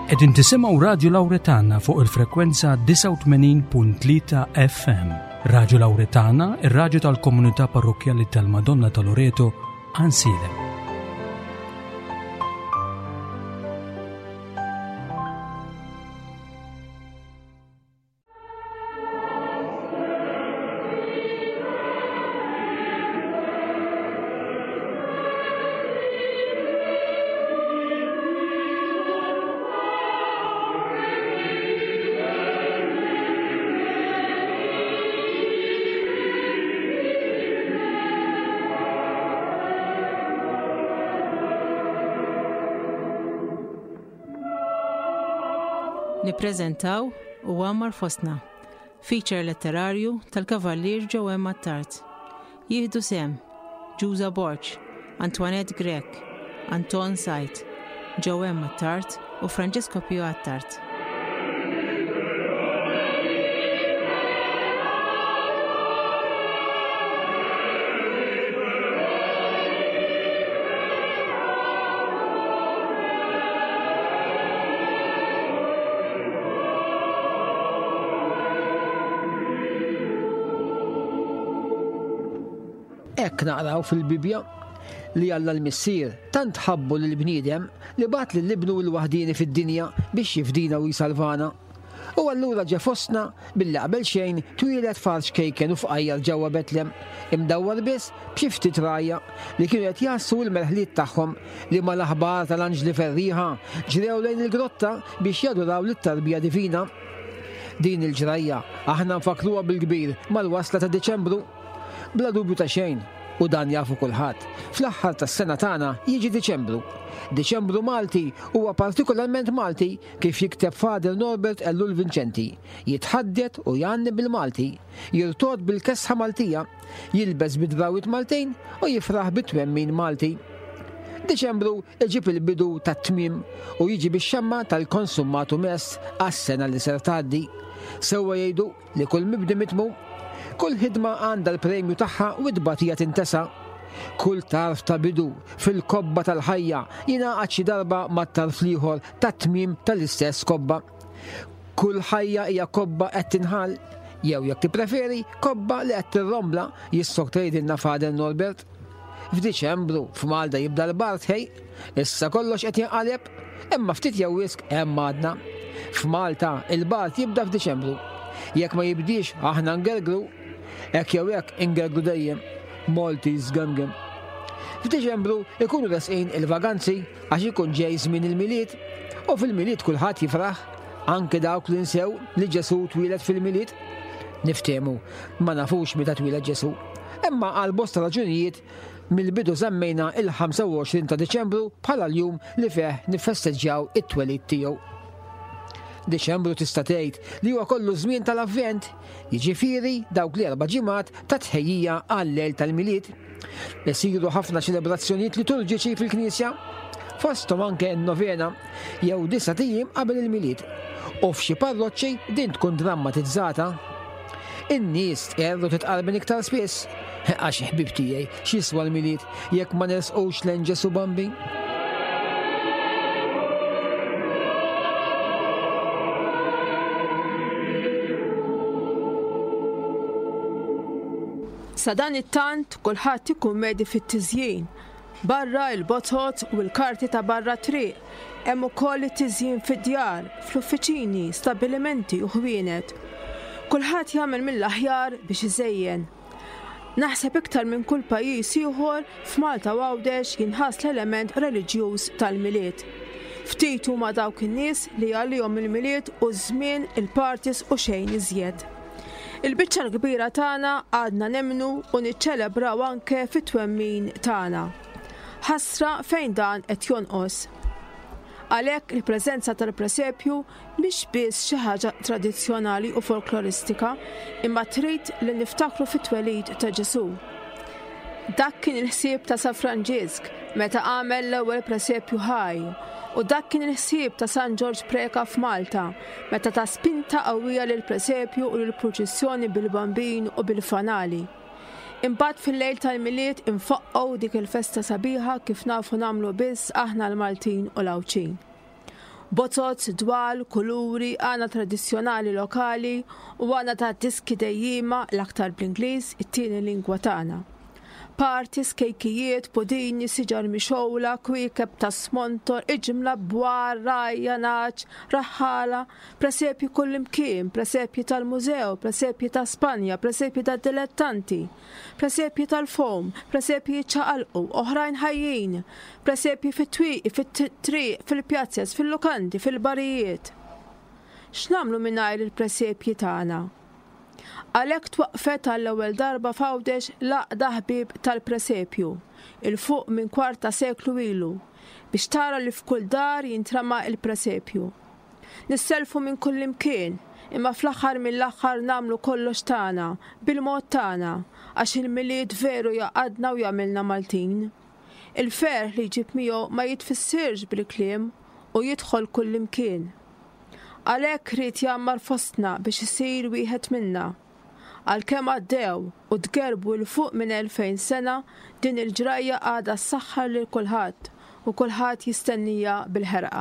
Qegħdin tisimgħu Radju Lawretana fuq il-frekwenza 89.3 FM. Radju Lawretana, ir-radju tal-komunità parrokkjali tal-Madonna ta' Loreto, Ansiedem. Nippreżentaw U Għammar Fostna, feature letterarju tal-Kavallier Joe Attard. Jieħdu sehem Ġuża Borg, Antoinette Grech, Anton Said, Joe Attard u Francesco Pio Attard. Hekk naqraw fil-Bibbja li Alla l-Missier tant ħabbu lill-bniedem li bagħat lil Ibnu l-waħdieni fid-dinja biex jifdina u jsalvana. U allura ġe fostna billi qabel xejn twieled f'għar ċkejken u fqajjar ġewwa Betlem, imdawwar biss b'xi ftit rgħajja li kienu qed jgħassu l-merħliet tagħhom li mal-aħbar tal-anġli ferrieħa ġrew lejn il-grotta biex jaduraw lit-tarbija divina. Din il-ġrajja aħna nfakkruha bil-kbir mal-wasla ta' Diċembru. Bla dubju ta' xejn, u dan jafu kulħadd, fl-aħħar tas-sena tagħna jiġi Diċembru. Diċembru Malti huwa partikolarment Malti kif jikteb Father Norbert Ellul Vincenti, jitħaddet u jgħanni bil-Malti, jirtogħod bil-kesħa Maltija, jilbes bid-drawwiet Maltin u jifraħ bit-twemmin Malti. Diċembru iġib il-bidu tat-tmiem u jiġi bix-xemma tal-konsummatum est għas-sena li ser tgħaddi. Sewwa jgħidu Li kull mibdi mitmum. Kull ħidma għandha l-premju tagħha u t-tbatija tintesa. Kull tarf ta' bidu fil-kobba tal-ħajja jingħaqad xi darba mat-tarf l-ieħor tat-tmiem tal-istess kobba. Kull ħajja hija kobba qed tinħall, jew jekk tippreferi, kobba li qed tirrombla, jissokta jgħidilna Father Norbert. F'Diċembru f'Malta jibda l-bard ħej, issa kollox qed jinqaleb, imma ftit jew wisq hemm għadna. F'Malta il-bard jibda f'Diċembru. Jekk ma jibdiex aħna ngergru. Hekk jew hekk ingergru dejjem. Maltese gemgem. F'Diċembru ikunu resqin il-vaganzi għax ikun ġej żmien il-Milied u fil-Milied kulħadd jifraħ, anke dawk li nsew li Ġesù twieled fil-Milied. Niftehmu, ma nafux meta twieled Ġesù. Imma għal bosta raġunijiet mill-bidu żammejna il-25 ta' Diċembru bħala l-jum li fih niffesteġġjaw it-twelid tiegħu. Diċembru tista' tgħid li huwa kollu żmien tal-Avvent, jiġifieri dawk l-erba' ġimgħat ta' tħejjija għal-lejl tal-Milied. Isiru ħafna ċelebrazzjonijiet liturġiċi fil-Knisja, fosthom anke n-novena jew disa' ijiem qabel il-Milied. U f'xi parroċċi din tkun drammatizzata. In-nies tqerr u titqarben iktar spiss. Għax ħbieb tiegħi, x'jiswa l-Milied jekk ma nersqux lejn Ġesù Bambin? Sadanittant kulħadd ikun medi fit-tiżjin. Barra il-botot u l-karti ta' barra t-triq, hemm ukoll it-tiżjin fid-djar, fl-uffiċini, stabbilimenti u ħwienet. Kulħadd jagħmel mill-aħjar biex iżejjen. Naħseb iktar minn kull pajjiż ieħor, f'Malta u Għawdex jinħass l-element reliġjuż tal-Milied. Ftit huma dawk in-nies li għalihom il-Milied hu żmien il-parties u xejn iżjed. Il-biċċa l-kbira tagħna għadna nemmnu u niċċelebraw anke fit-twemmin tagħna. Ħasra fejn dan qed jonqos. Għalhekk il-preżenza tal-presepju mhix biss xi ħaġa tradizzjonali u folkloristika, imma trid li niftakru fit-twelid ta' Ġesù. Dak kien il-ħsieb ta' San Franġisk meta għamel l-ewwel presepju ħaj, u dak kien il-ħsieb ta' San Ġorġ Preca f'Malta meta ta spinta qawwija lill-presepju u lill-purċissjoni bil-Bambin u bil-fanali. Imbagħad fil-lejl tal-Milied infaqqgħu dik il-festa sabiħa kif nafu nagħmlu biss aħna l-Maltin u l-Għawdxin. Bozoz, dwal, kuluri, għana tradizzjonali lokali u għana ta' diski dejjiema l-aktar bl-Ingliż, it-tieni lingwa tagħna. Parties, kejkijiet, pudini, siġar mixgħula, kwiekeb ta' smontor, iġmla, bwar, rgħajja, nagħaġ, raħħala, presepji kullimkien, presepji tal-mużew, presepji ta' Spanja, presepji tad-dilettanti, presepji tal-fowm, presepji jiċċaqalqu, oħrajn ħajjin, presepji fit-twieqi, fit-triq, fil-pjazez, fil-lukandi, fil-barijiet. X'nagħmlu mingħajr il-presepji tagħna? Għalhekk twaqqfet għall-ewwel darba f'Għawdex l-Għaqda Ħbieb tal-Presepju, 'il fuq minn kwart ta' seklu ilu, biex tara li f'kull dar jintrama' l-presepju. Nissellfu minn kullimkien, imma fl-aħħar mill-aħħar nagħmlu kollox tagħna, bil-mod tagħna, għax il-Milied veru jgħaqqadna u jagħmilna Maltin. Il-ferħ li jġib miegħu ma jitfissirx bil-kliem u jidħol kullimkien. Għalhekk ried jgħammar fostna biex isir wieħed minna. Għalkemm għaddew u tgerrbu 'l fuq minn 2000 sena, din il-ġrajja għadha ssaħħar lil kulħadd u kulħadd jistenniha bil-ħerqa.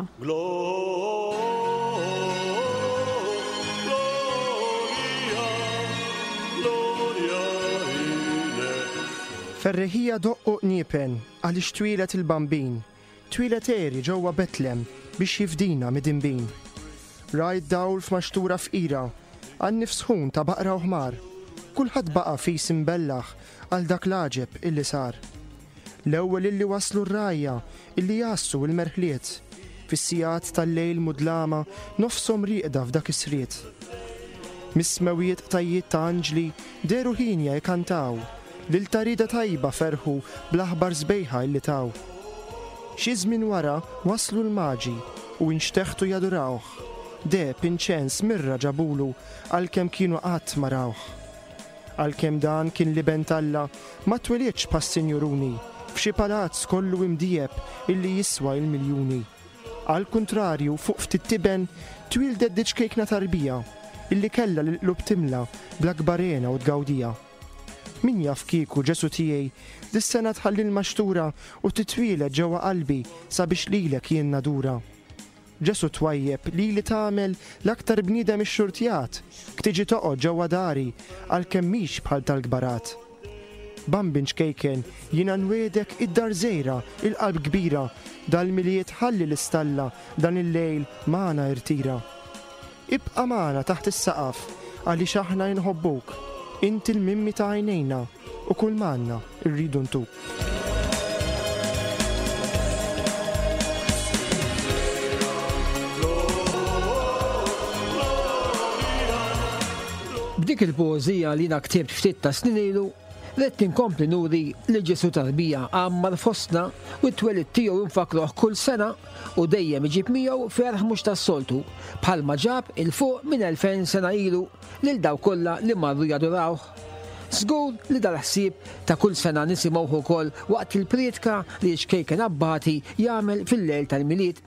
Ferriħija doqqu qniepen għaliex twieled il-Bambin. Twieled għeri ġewwa Betlem biex jifdina midinbin. Ra d-dawl f'maxtura fqira, għan-nifs sħun ta' baqra u ħmar. Kulħadd baqa' fis imbellaħ għal dak l-għaġeb illi sar. L-ewwel illi waslu r-rgħajja illi jgħassu l-merħliet, fis-sigħat tal-lejl mudlama nofshom rieqda f'dak is-sriet. Mis-smewwiet qtajjiet ta' anġli dehru hienja jkantaw, lil ta' rieda tajba ferħu bl-aħbar sbejħa illi taw. Xi żmien wara waslu l-Maġi u inxteħtu jadurawh, deheb, inċens, mirra ġabulu għalkemm kienu qatt ma rawh. Għalkemm dan kien l-Iben t'Alla, ma twilidx bħas-sinjuruni, f'xi palazz kollu imdieheb illi jiswa il-miljuni. Għall-kuntrarju, fuq ftit tiben, twieldet diċ-ċkejkna tarbija, illi kellha lill-qlub timla bl-akbar hena u tgawdija. Min jaf kieku, Ġesù tiegħi, dis-sena tħalli l-maxtura u titwieled ġewwa qalbi sabiex lilek jien nadura. Ġesù twajjeb, lili tagħmel l-aktar bniedem ixxurtjat, ktiġi toqgħod ġewwa dari, għalkemm mhix bħal tal-kbarat. Bambin ċkejken, jiena nwiegħdek id-dar żgħira, il-qalb kbira, dal-Milied ħalli l-istalla dan il-lejl magħna irtira. Ibqa' magħna taħt is-saqaf għaliex aħna inħobbuk, inti l-mimmi ta' għajnejna u kull m'għandna rridu ntuk. B'dik il-poeżija li jiena ktibt ftit ta' snin ilu, ridt inkompli nuri li Ġesù tarbija għammar fostna u t-twelid tiegħu nfakkruh kull sena u dejjem iġib miegħu ferħ mhux tas-soltu, bħalma ġab 'il fuq minn 2000 sena ilu lil dawk kollha li marru jadurawh. Żgur li dal-ħsieb ta' kull sena nisimgħuh ukoll waqt il-prietka li x-ċkejken Abbati jagħmel fil-lejl tal-Milied.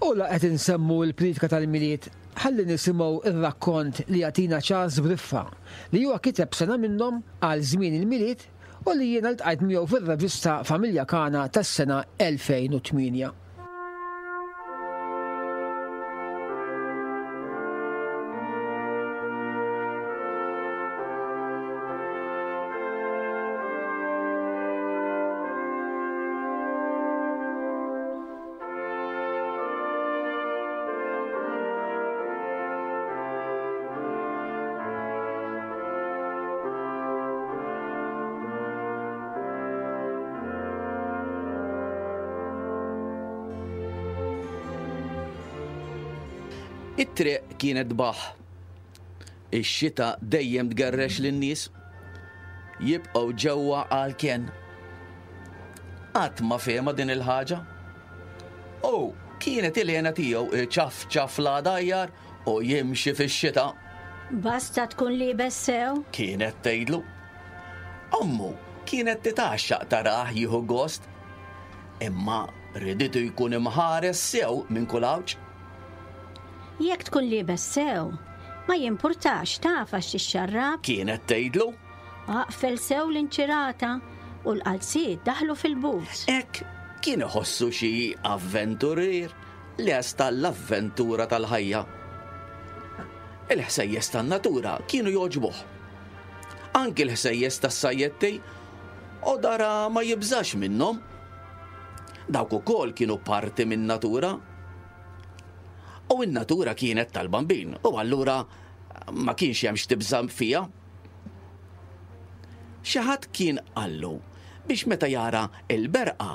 U la qed insemmu l-prietka tal-Milied, ħalli nisimgħu r-rakkont li jagħtina Charles Briffa, li huwa kiteb sena minnhom għal żmien il-Milied u li jiena ltqajt miegħu fir-revista Familja Kana tas-sena 2008. It-triq kienet baħ. Ix-xita dejjem tgerrex lin-nies. Jibqgħu ġewwa għall-kenn. Qatt ma fehmha din il-ħaġa. U kienet il-hena tiegħu iċafċaf l-għadajjar u jimxi fix-xita. Basta tkun liebes sew. Kienet tgħidlu. Ommu kienet titgħaxxaq tarah jieħu gost. Imma riditu jkun imħares sew minn kull għawġ. Jekk tkun liebes sew, ma jimpurtax taf għax tixxarrab. Kienet tgħidlu. Aqfel sew l-inċirata u l-qalziet daħlu fil-boots. Hekk kien iħossu xi avventurier. lest għall-avventura tal-ħajja. Il-ħsejjes tan-natura kienu jogħġbuh. Anki l-ħsejjes tas-sajjetti u dara ma jibżax minnhom. Dawk ukoll kienu parti min-natura. U n-natura kienet tal-bambin u allura ma kienx hemm x'tibża' fiha. Xi ħadd kien qallu biex meta jara l-berqa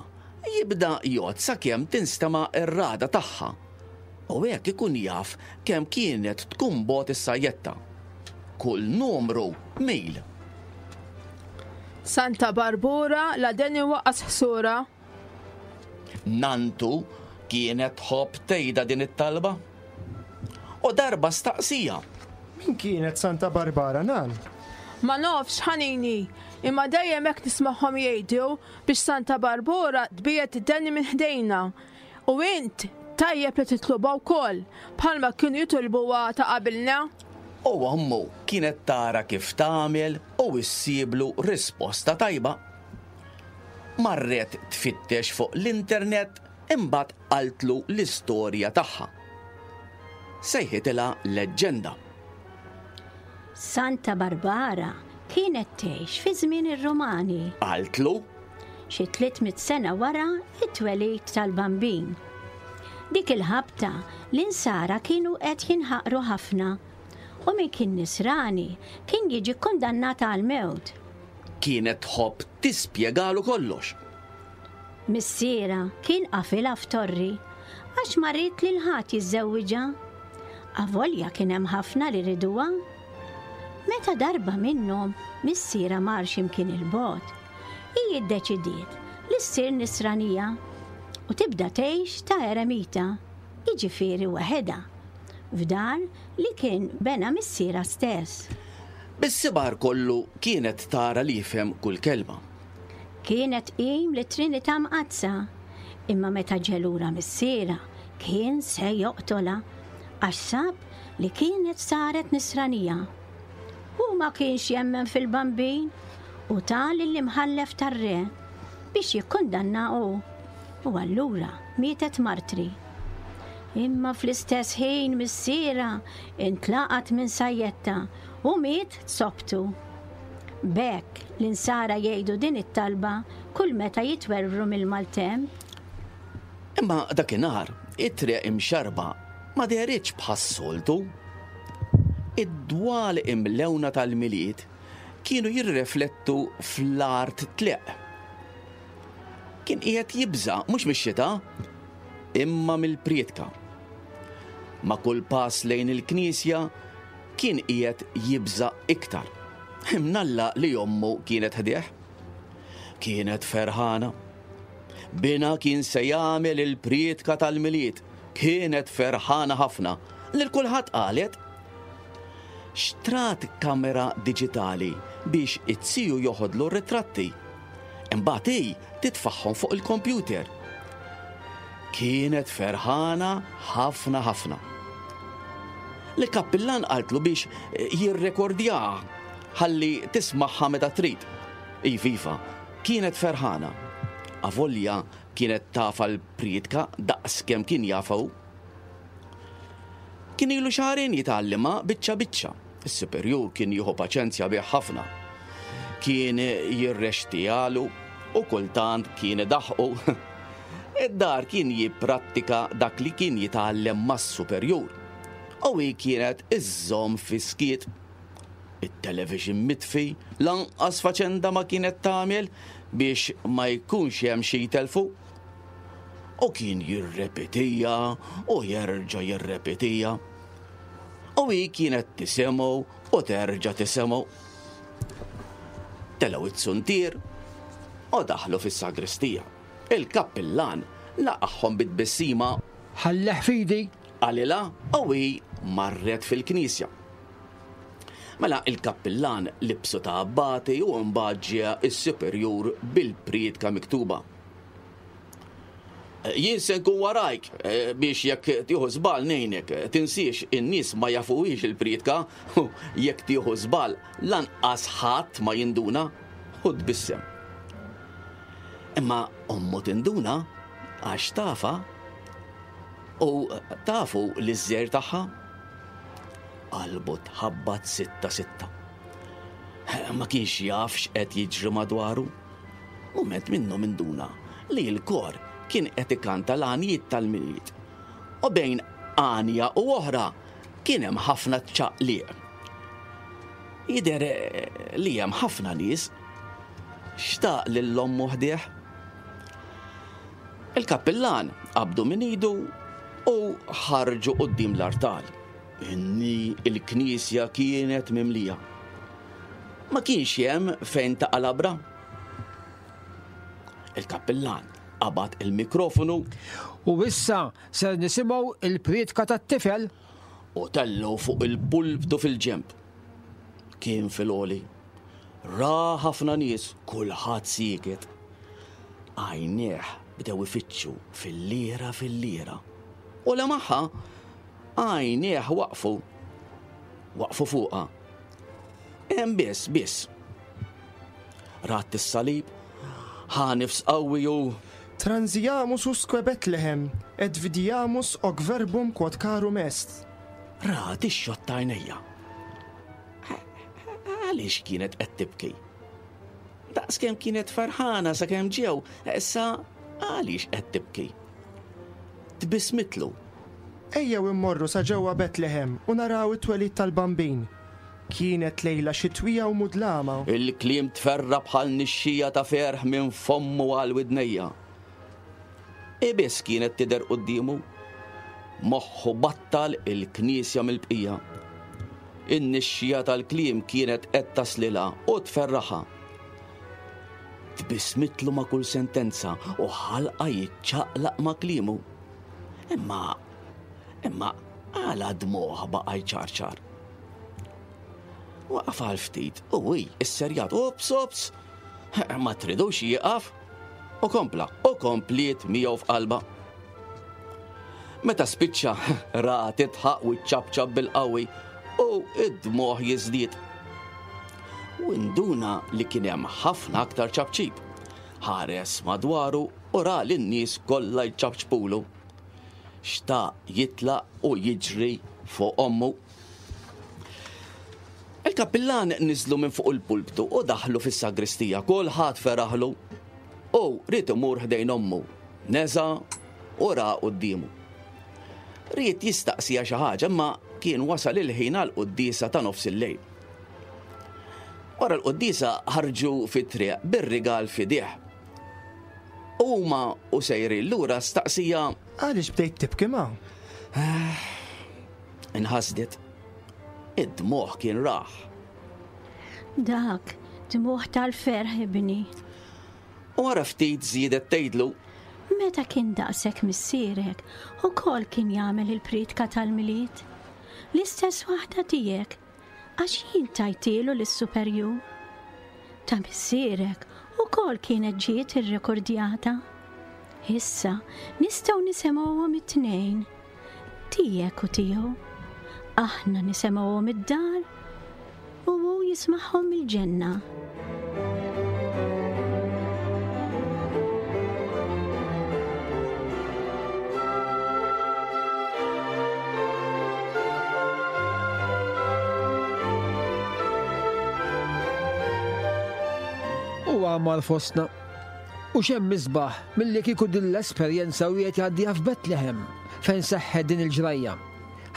jibda jgħodd sakemm tinstema' r-ragħda tagħha u hekk ikun jaf kemm kienet tkun bogħod is-sajjetta. Kull numru mil. Santa Barbura la deni waqqas ħsura. Nantu kienet tħobb tgħidha din it-talba. U darba staqsija. Min kienet Santa Barbara, nan? Ma nafx, ħanini, imma dejjem hekk nismagħhom jgħidu biex Santa Barbara tbiegħed id-deni minn ħdejna. U int tajjeb li titlobha wkoll, bħalma kienu jitolbuha ta' qabilna. U ommu kienet tara kif tagħmel u issiblu risposta tajba. Marret tfittex fuq l-internet imbagħad qaltlu l-istorja tagħha. Sejħitilha leġġenda. Santa Barbara kienet tgħix fi żmien ir-Rumani. Qaltlu. Xi 300 sena wara t-twelid tal-Bambin. Dik il-ħabta l-Insara kienu qed jinħaqru ħafna u min kien Nisrani kien jiġi kkundannat għall-mewt. Kienet tħobb tispjegalu kollox. Missierha kien qafilha f'torri għax ma ried lil ħadd jiżżewwiġha. Avolja kien hemm ħafna li riduha. Meta darba minnhom missierha mar xi mkien 'il bogħod, hi ddeċidiet li ssir Nisranija u tibda tgħix ta' eremita, jiġifieri waħedha, f'dar li kien bena missierha stess. Bis-sibar kollu kienet tara li jifhem kull kelma. Kienet tqim lit-Trinità Mqaddsa, imma meta ġie lura missierha kien se joqtolha għax sab li kienet saret Nisranija. Hu ma kienx jemmen fil-Bambin u ta lill-imħallef tar-re biex jikkundannha hu, u allura mietet martri. Imma fl-istess ħin missierha intlaqat minn sajjetta u miet sobtu. B'hekk, l-Insara jgħidu din it-talba kull meta jitwerwru mill-maltemp. Imma dakinhar, it-triq imxarrba ma dehritx bħas-soltu. Id-dwal imlewna tal-Milied kienu jirreflettu fl-art tleqq. Kien qiegħed jibża' mhux mix-xita, imma mill-prietka. Ma' kull pass lejn il-knisja kien qiegħed jibża' iktar. Imnalla li ommu kienet ħdejh. Kienet ferħana. Binha kien se jagħmel il-prietka tal-Milied. Kienet ferħana ħafna. Lil kulħadd qalet. Xtrat kamera diġitali biex it-siju joħodlu r-ritratti. Imbagħad hi titfagħhom fuq il-kompjuter. Kienet ferħana ħafna ħafna. L-kappillan qaltlu biex eh, jirrekordjaha ħalli tismagħha meta trid. Iva, iva, kienet ferħana. Avolja kienet tafa l-priedka daqs kemm kien jafa hu. Kien ilu xahrejn jitgħallimha biċċa biċċa. Is-superjur kien jieħu paċenzja bih ħafna. Kien jirrextijalu u kultant kien idaħħqu. Id-dar kien jipprattika dak li kien jitgħallem mas-superjur. U hi kienet iżżomm fis-skiet. It-television mitfi lanqas faċenda ma kienet tagħmel biex ma jkunx hemm xi jtellfu. U kien jirrepetija u jerġa' jirrepetija. U hi kienet tisimgħu u terġa' tisimgħu. Telgħu it-suntier u daħlu fis-sagristija. Il-kappillan laqagħhom bi tbissima. Ħalleh f'idi! Qalilha u hi marret fil-knisja. Mela il-kappillan libsu ta' abbati u mbagħad ġie s-superjur bil-prietka miktuba. Jien se nkun warajk eh, biex jekk tieħu żball ngħinek. Tinsiex in-nies ma jafuhiex il-prietka jekk tieħu żball lanqas ħadd ma jinduna u tbissem. Imma ommu tinduna għax tafa. U tafu l-iżżejr tagħha? Qalbu tħabbat 6-6. Ma kienx jaf x'qed jiġri madwaru. Mument minnhom induna li l-kor kien qed ikanta l-għanjiet tal-Milied. U bejn għanja u oħra kien hemm ħafna ċaqliq. Jidher li hemm ħafna nies. Xtaq lil ommu ħdejh. Il-kappillan qabdu minn idu u ħarġu quddiem l-artal. Inni il-knisja kienet mimlija. Ma kienx hemm fejn taqa' labra. Il-kappillan qabad il-mikrofonu. U issa ser nisimgħu il-prietka tat-tifel. U tellgħu fuq il-pulptu fil-ġenb. Kien fil-għoli. Ra ħafna nies, kulħadd sieket. Għajnejh bdew ifittxu fil-lira fil-lira. U lemaħha, għajnejh waqfu. Waqfu fuqha. Hemm biss, biss. Rat is-salib, ħa nifs qawwi u. Transiamus usque Bethlehem, et vidiamus hoc verbum quod carum est. Rat ix-xott t'għajnejja. Għaliex kienet qed tibki? Daqskemm kienet ferħana sakemm ġew, issa għaliex qed tibki? Tbissmitlu. Ejjew immorru sa ġewwa Betlehem u naraw it-twelid tal-Bambin. Kienet lejla xitwija u mudlama. Il-kliem tferra' bħal nixxija ta' ferħ minn fommu għal widnejja. Hi biss kienet tidher quddiemu. Moħħu battal il-knisja mill-bqija. In-nixxija tal-kliem kienet qed taslilha u tferraħha. Tbissmitlu ma' kull sentenza u ħalqha jiċċaqlaq ma' kliemu. Imma, imma għala dmugħha baqa' jċarċar? Waqaf għal ftit u hi isserjat, Ops, ops! Ma tridux jieqaf? U kompla, u kompliet miegħu f'qalba. Meta spiċċa, ra titħaq u ċċapċap bil-qawwi u id-dmugħ jiżdied. U induna li kien hemm ħafna aktar ċapċip. Ħares madwaru u ra lin-nies kollha jċapċpulu. Xtaq jitlaq u jiġri fuq ommu. Il-kappillan niżlu minn fuq il-pulptu u daħlu fis-sagristija. Kulħadd feraħlu. U ried imur ħdejn ommu. Neża' u ra quddiemu. Ried jistaqsiha xi ħaġa imma kien wasal il-ħin għall-quddiesa ta' nofs il-lejl. Wara l-quddiesa ħarġu fit-triq bir-rigal f'idejh. U huma u sejrin lura staqsija. Għaliex bdejt tibki ma? Inħasdet. Id-dmugħ kien raħ. Dak dmugħ tal-ferħ ibni. U wara ftit żiedet tgħidlu. Meta kien daqshekk missierek, ukoll kien jagħmel il-priedka tal-Milied. L-istess waħda tiegħek, għax jien tajtielu lis-superjur. Ta' missierek ukoll kienet ġiet irrekordjata. Issa nistgħu nisemgħuhom it-tnejn. Tiegħek u tiegħu. Aħna nisemgħuhom id-dar u hu jismagħhom mill-ġenna. U għamar fostna. U x'hemm isbaħ milli kieku din l-esperjenza wieħed jgħaddiha f'Betlehem fejn seħħet din il-ġrajja.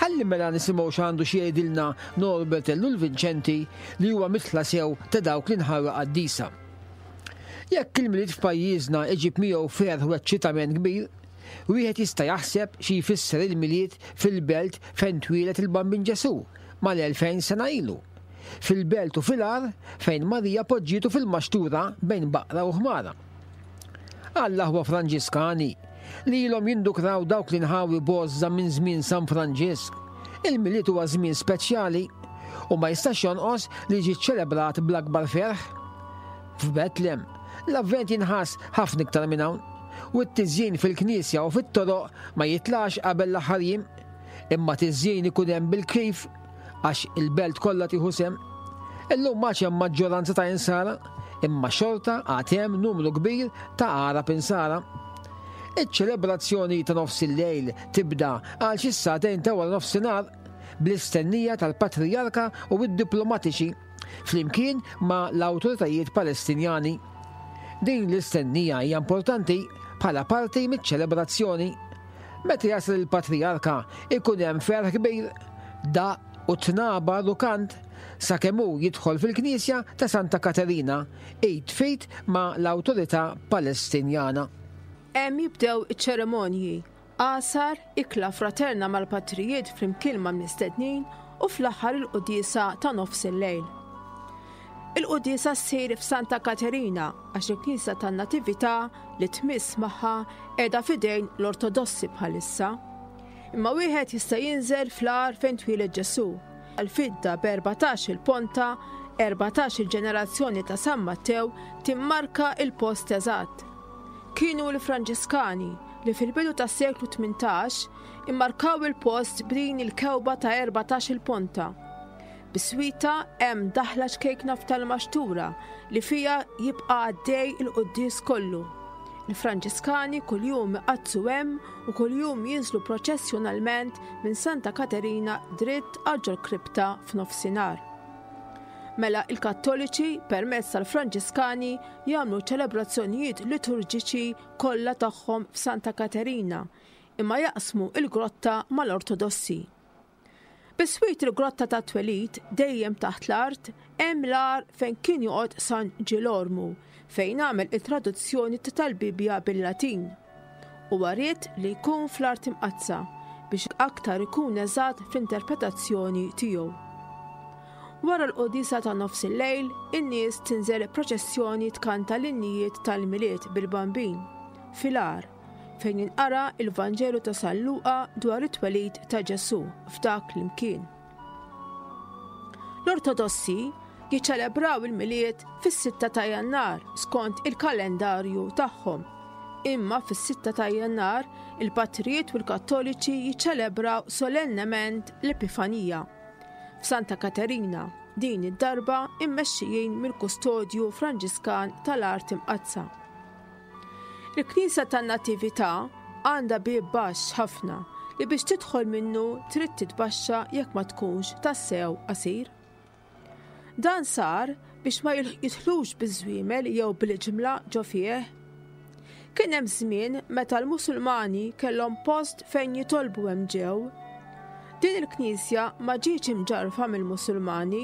Ħalli mela nisimgħu x'għandu xi jgħidilna Norbert Ellul Vinċenti li huwa mitla sew ta' dawk l-inħawi qaddisa. Jekk il-Milied f'pajjiżna iġib miegħu ferħ u eċċitament kbir, wieħed jista' jaħseb xi jfisser il-Milied fil-belt fejn twieled il-Bambin Ġesù mal-2000 sena ilu. Fil-belt u fil-għar fejn Marija poġġietu fil-maxtura bejn baqra u ħmara. Għall-aħwa Franġiskani li ilhom jindukraw dawk l-inħawi b'għożża minn żmien San Franġisk, il-Milied huwa żmien speċjali u ma jistax jonqos li jiġi ċċelebrat bl-akbar ferħ. F'Betlem, l-Avvent jinħass ħafna iktar minn hawn, u t-tiżjin fil-knisja u fit-toroq ma jitlax qabel l-aħħar jiem, imma tiżjin ikun hemm bil-kif għax il-belt kollha tieħu sehem. Illum m'għadx hemm maġġoranza ta' insara, imma xorta għad hemm numru kbir ta' Għarab insara. Iċ-ċelebrazzjoni ta' nofs il-lejl tibda għal xi sagħtejn ta' wara nofsinhar bl-istennija tal-Patrijarka u d-diplomatiċi flimkien ma' l-awtoritajiet Palestinjani. Din l-istennija hija importanti bħala parti miċ-ċelebrazzjoni. Meta jasal il-Patrijarka ikun hemm ferħ kbir, daqq u tnabar u kant sakemm hu jidħol fil-knisja ta' Santa Katerina id f'id ma' l-awtorità Palestinjana. Hemm jibdew iċ-ċerimonji, għasar, ikla fraterna mal-patrijiet flimkien mal-mistednin u fl-aħħar il-quddiesa ta' nofs il-lejl. Il-quddiesa ssir f'Santa Katerina għax il-knisja tan-Natività li tmiss magħha qiegħda f'idejn l-Ortodossi bħalissa. Imma wieħed jista' jinżel fl-għar fejn twieled Ġesù. L-fidda b'erbatax-il ponta, erbatax-il ġenerazzjoni ta' San Mattew timmarka l-post eżatt. Kienu l-Franġiskani li fil-bidu tas-seklu 18 immarkaw il-post b'din il-kewba ta' erbatax-il ponta. Biswitha hemm daħla ċkejkna f'tal-maxtura li fiha jibqa' għaddej il-quddies kollu. Il-Franġiskani kuljum iqaddsu hemm u kuljum jinżlu proċessjonalment minn Santa Katerina dritt għal ġol-kripta f'nofsinhar. Mela il-Kattoliċi permezz tal-Franġiskani jagħmlu ċ-ċelebrazzjonijiet liturġiċi kollha tagħhom f'Santa Katerina imma jaqsmu l-grotta mal-Ortodossi. Biswit il-Grotta tat-Twelid, dejjem taħt l-art, hemm l-għar fejn kien joqgħod San Ġilormu, fejn għamel it-traduzzjoni tal-Bibbja bil-Latin. Huwa ried li jkun fl-Art Imqaddsa biex aktar ikun eżatt fl-interpretazzjoni tiegħu. Wara l-quddiesa ta' nofsillejl, in-nies tinżel proċessjoni tkanta l-innijiet tal-Milied bil-Bambin, fil-għar, fejn jinqara l-Vanġelu ta' San Luqa dwar it-twelid ta' Ġesù f'dak l-imkien. L-Ortodossi jiċċelebraw il-Milied fis-6 ta' Jannar skont il-kalendarju tagħhom. Imma fis-6 ta' Jannar il-patrijiet u l-Kattoliċi jiċċelebraw solennement l-Epifanija f'Santa Katerina, din id-darba immexxijin mill-Kustodju Franġiskan tal-Art Imqaddsa. Il-Knisja tan-Natività għandha bieb baxx ħafna li biex tidħol minnu trid titbaxxa jekk ma tkunx tassew qasir. Dan sar biex ma jidħlux biż-żwiemel jew bil-ġimla ġo fih. Kien hemm żmien meta l-Musulmani kellhom post fejn jitolbu hemm ġew. Din il-knisja ma ġietx imġarrfa mill-Musulmani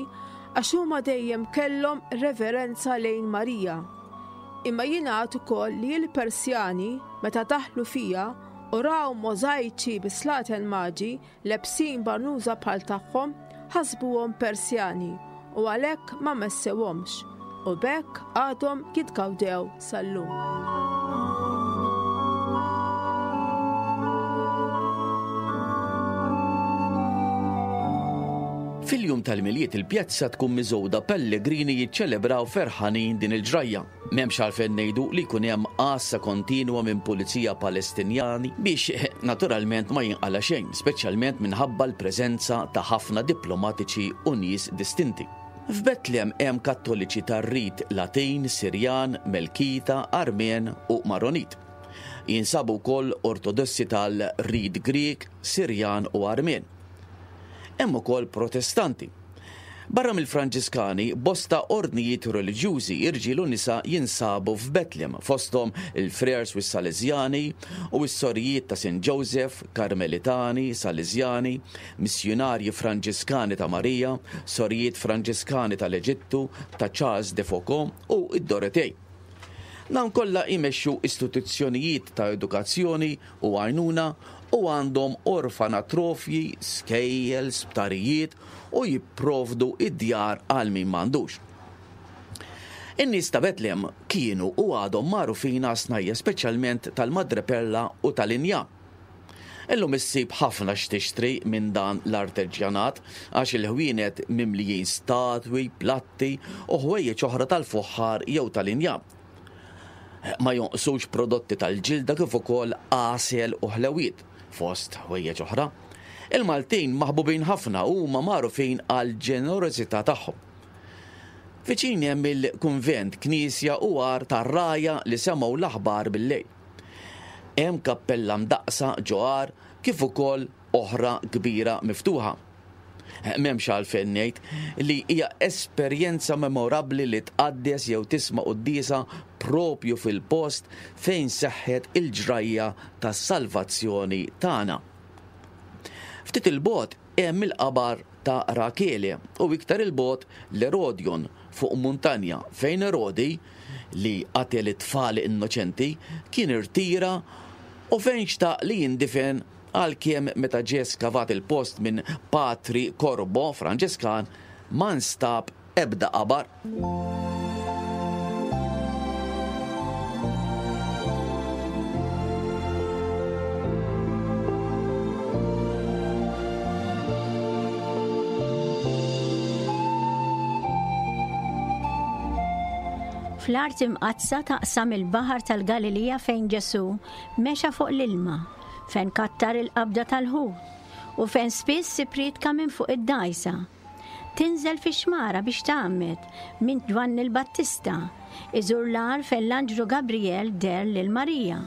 għax huma dejjem kellhom reverenza lejn Marija. Imma jingħad ukoll li l-Persjani, meta daħlu fiha u raw możajċi bi slaten maġi lebsin barnuża bħal tagħhom, ħasbuhom Persjani u għalhekk ma messewhomx, u b'hekk għadhom jitgawdew sal-lum. Fil-jum tal-Milied il-pjazza tkun miżgħuda pellegrini jiċċelebraw ferħanin din il-ġrajja. M'hemmx għalfejn ngħidu li jkun hemm għassa kontinwa minn pulizija Palestinjani biex naturalment ma jinqala' xejn, speċjalment minħabba l-preżenza ta' ħafna diplomatiċi u nies distinti. F'Betlem hemm Kattoliċi tar-rit Latin, Sirjan, Melkita, Armen u Maronit. Jinsabu wkoll Ortodossi tal-rit Grieg, Sirjan u Armen. Hemm ukoll Protestanti. Barra mill-Franġiskani, bosta ordnijiet reliġjużi, irġiel u nisa, jinsabu f'Betlem, fosthom il-Frères u s-Sależjani u s-Sorijiet ta' Saint Joseph, Karmelitani, Sależjani, Missjunarji Franġiskani ta' Marija, Sorijiet Franġiskani tal-Eġittu, ta' Charles de Foucauld u d-Dorotej. Dawn kollha jmexxu istituzzjonijiet ta' edukazzjoni u għajnuna u għandhom orfanatrofji, skejjel, sptarijiet u jipprovdu d-djar għal min m'għandux. In-nies ta' Betlem kienu u għadhom magħrufin għas-snajja' speċjalment tal-madreperla u tal-injam. Illum issib ħafna x'tixtri minn dan l-arteġġjanat għax il-ħwienet mimlijin statwi, platti u ħwejjeġ oħra tal-fuħħar jew tal-injam. Ma jonqsux prodotti tal-ġilda kif ukoll għasel u ħlewiet, fost ħwejjeġ oħra. Il-Maltin maħbubin ħafna u huma magħrufin għall-ġenerożità tagħhom. Viċin hemm il-kunvent, knisja u għar tar-rgħajja li semgħu l-aħbar bil-lejl. Hemm kappella mdaqqsa ġo għar kif ukoll oħra kbira miftuħa. M'hemmx għalfejn ngħid li hija esperjenza memorabbli li tqaddes jew tisma' quddiesa propju fil-post fejn seħħet il-ġrajja tas-salvazzjoni tagħna. Ftit 'il bogħod hemm il-qabar ta' Rakele u iktar 'il bogħod l-Erodion fuq muntanja fejn Erodi, li qatel it-tfal innoċenti, kien irtira u fejn xtaq li jindifen għalkemm meta ġie skavat il-post minn Patri Corbo, Franġiskan, ma nstab ebda qabar. Fl-Art Imqaddsa taqsam il-Baħar tal-Galilija fejn Ġesù mexa fuq l-ilma, fejn kattar il-qabda tal-ħut, u fejn spiss ipprietka minn fuq id-dgħajsa. Tinżel fix-xmara biex tgħammed minn Ġwanni l-Battista, iżur l-għar fejn l-anġlu Gabrijel deher lil Marija,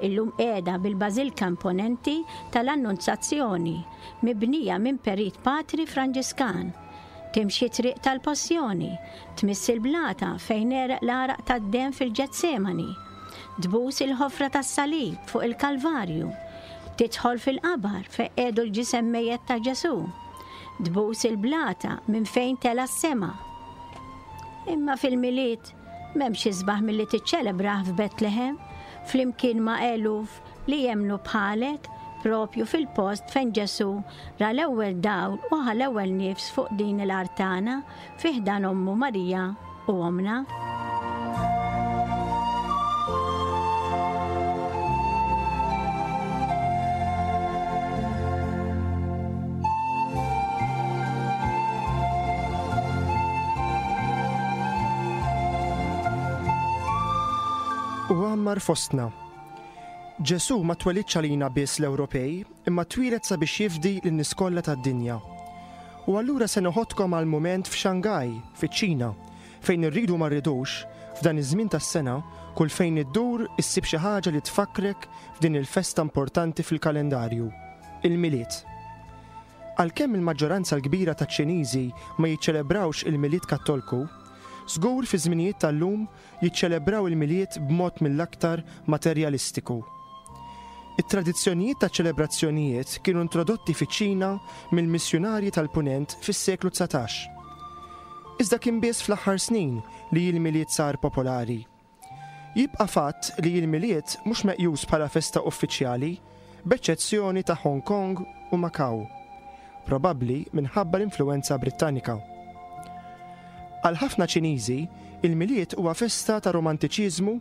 illum qiegħda bil-bażilka imponenti tal-Annunzazzjoni, mibnija minn perit patri Franġiskan. Timxi t-triq tal-Passjoni, tmiss il-blata fejn għereq l-għaraq tad-demm fil-Ġetsemani, tbus il-ħofra tas-salib fuq il-Kalvarju, tidħol fil-qabar fejn qiegħdu l-ġisem mejjet ta' Ġesù, Tbus il-blata minn fejn tela' s-sema. Imma fil-Milied m'hemmx isbaħ milli tiċċelebrah f'Betlehem flimkien ma' eluf li jemmnu bħalek propju fil-post fejn Ġesù ra l-ewwel dawl u ħa l-ewwel nifs fuq din l-art tagħna fi ħdan ommu Marija u ommna. U għammar fostna. Ġesù ma twelidx għalina biss l-Ewropej, imma twieled sabiex jifdi lin-nies kollha tad-dinja. U allura se noħodkom għal mument f'Shanghai, fiċ-Ċina, fejn irridu ma rridux, f'dan iż-żmien tas-sena, kull fejn iddur issib xi ħaġa li tfakkrek f'din il-festa importanti fil-kalendarju, il-Milied. Għalkemm il-maġġoranza l-kbira taċ-Ċiniżi ma jiċċelebrawx il-Milied Kattolku, żgur fiż-żminijiet tal-lum jiċċelebraw il-Milied b'mod mill-aktar materjalistiku. It-tradizzjonijiet taċ-ċelebrazzjonijiet kienu introdotti fiċ-Ċina mill-missjunarji tal-Punent fis-seklu 19. Iżda kien biss fl-aħħar snin li l-Milied sar popolari. Jibqa' fatt li l-Milied mhux meqjus bħala festa uffiċjali, b'eċċezzjoni ta' Hong Kong u Macau, probabbli minħabba l-influwenza Brittanika. Għal ħafna Ċiniżi, il-Milied huwa festa ta' romantiċiżmu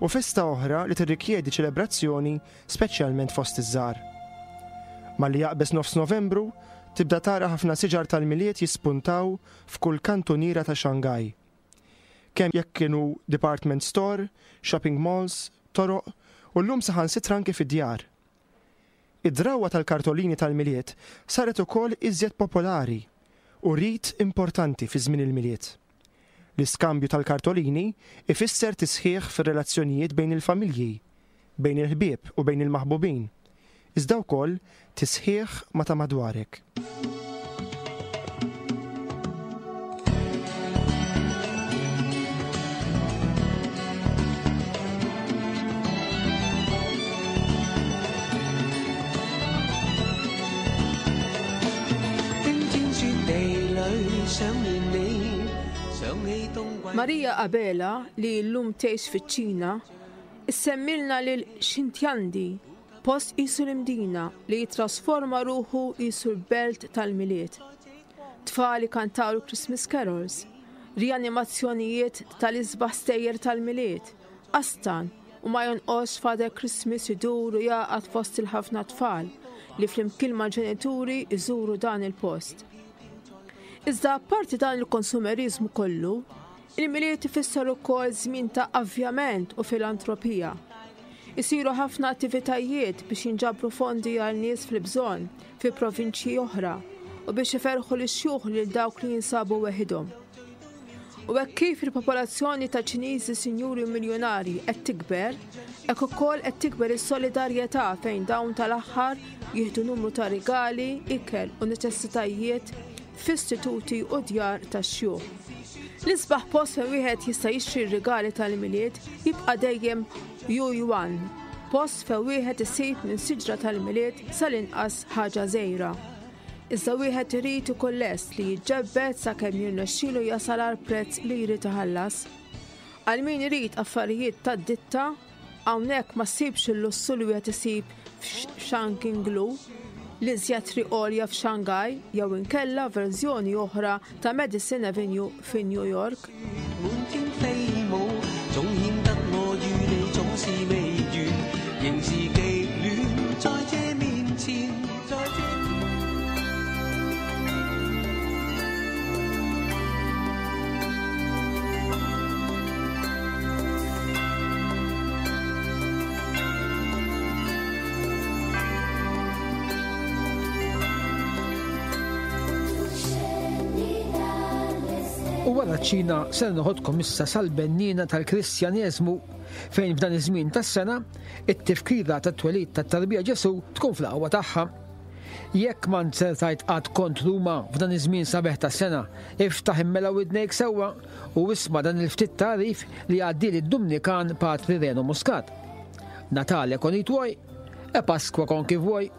u festa oħra li tirrikjedi ċelebrazzjoni speċjalment fost iż-żgħar. Malli jaqbeż nofs Novembru, tibda tara ħafna siġar tal-Milied jispuntaw f'kull kantuniera ta' Shanghai. Kemm jekk kienu department store, shopping malls, toroq u llum saħansitra anki fid-djar. Id-drawwa tal-kartolini tal-Milied saret ukoll iżjed popolari u rit importanti fi żmien il-Milied. L-iskambju tal-kartolini ifisser tisħiħ fir-relazzjonijiet bejn il-familji, bejn il-ħbieb u bejn il-maħbubin, iżda wkoll tisħiħ ma' ta' madwarek. Maria Abela, li llum tgħix fiċ-Ċina, issemmilna lil Xintiandi, post qisu l-Imdina li jittrasforma ruħu qisu l-belt tal-Milied. Tfal ikantaw il-Christmas carols, rianimazzjonijiet tal-isbaħ stejjer tal-Milied, qastan u ma jonqosx Father Christmas idur u jagħqad fost il-ħafna tfal li flimkien mal-ġenituri jżuru dan il-post. Iżda apparti dan il-konsumeriżmu kollu, il-Milied ifisser ukoll żmien ta' avvjament u filantropija. Isiru ħafna attivitajiet biex jinġabru fondi għal nies fil-bżonn fi provinċji oħra u biex iferrħu lix-xjuħ lil dawk li jinsabu weħidhom. U hekk kif il-popolazzjoni ta' Ċiniżi sinjuri u miljunarji qed tikber, hekk ukoll qed tikber is-solidarjetà fejn dawn tal-aħħar jieħdu numru ta' rigali, ikel u neċessitajiet f'istituti u djar tax-xjuħ. L-isbaħ post fejn wieħed jista' jixtri r-rigali tal-Milied jibqa' dejjem Yuyuan, post fejn wieħed isib minn siġra tal-Milied sal-inqas ħaġa żgħira. Iżda wieħed irid ikun lest li jiġġebbed sakemm jirnexxilu jasal għall-prezz li jrid iħallas. Għal min irid affarijiet tad-ditta, hawnhekk ma ssibx il-lussu li wieħed isib f'Shanqinglu, l-iżjed triq għolja f'Shanghai jew inkella verżjoni oħra ta' Madison Avenue fi New York. U wara ċ-Ċina ser noħodkom issa sal-benniena tal-Kristjaneżmu fejn f'dan iż-żmien tas-sena it-tifkira tat-twelid tat-tarbija Ġesù tkun fl-aqwa tagħha. Jekk ma nzertajt qatt kont Ruma f'dan iż-żmien sabiħ tas-sena, iftaħ immela widnejk sewwa u isma' dan il-ftit tagħrif li għaddieli d-Dumnikan Patri Reno Muscat. Natale con i tuoi e Pasqua con chi vuoi.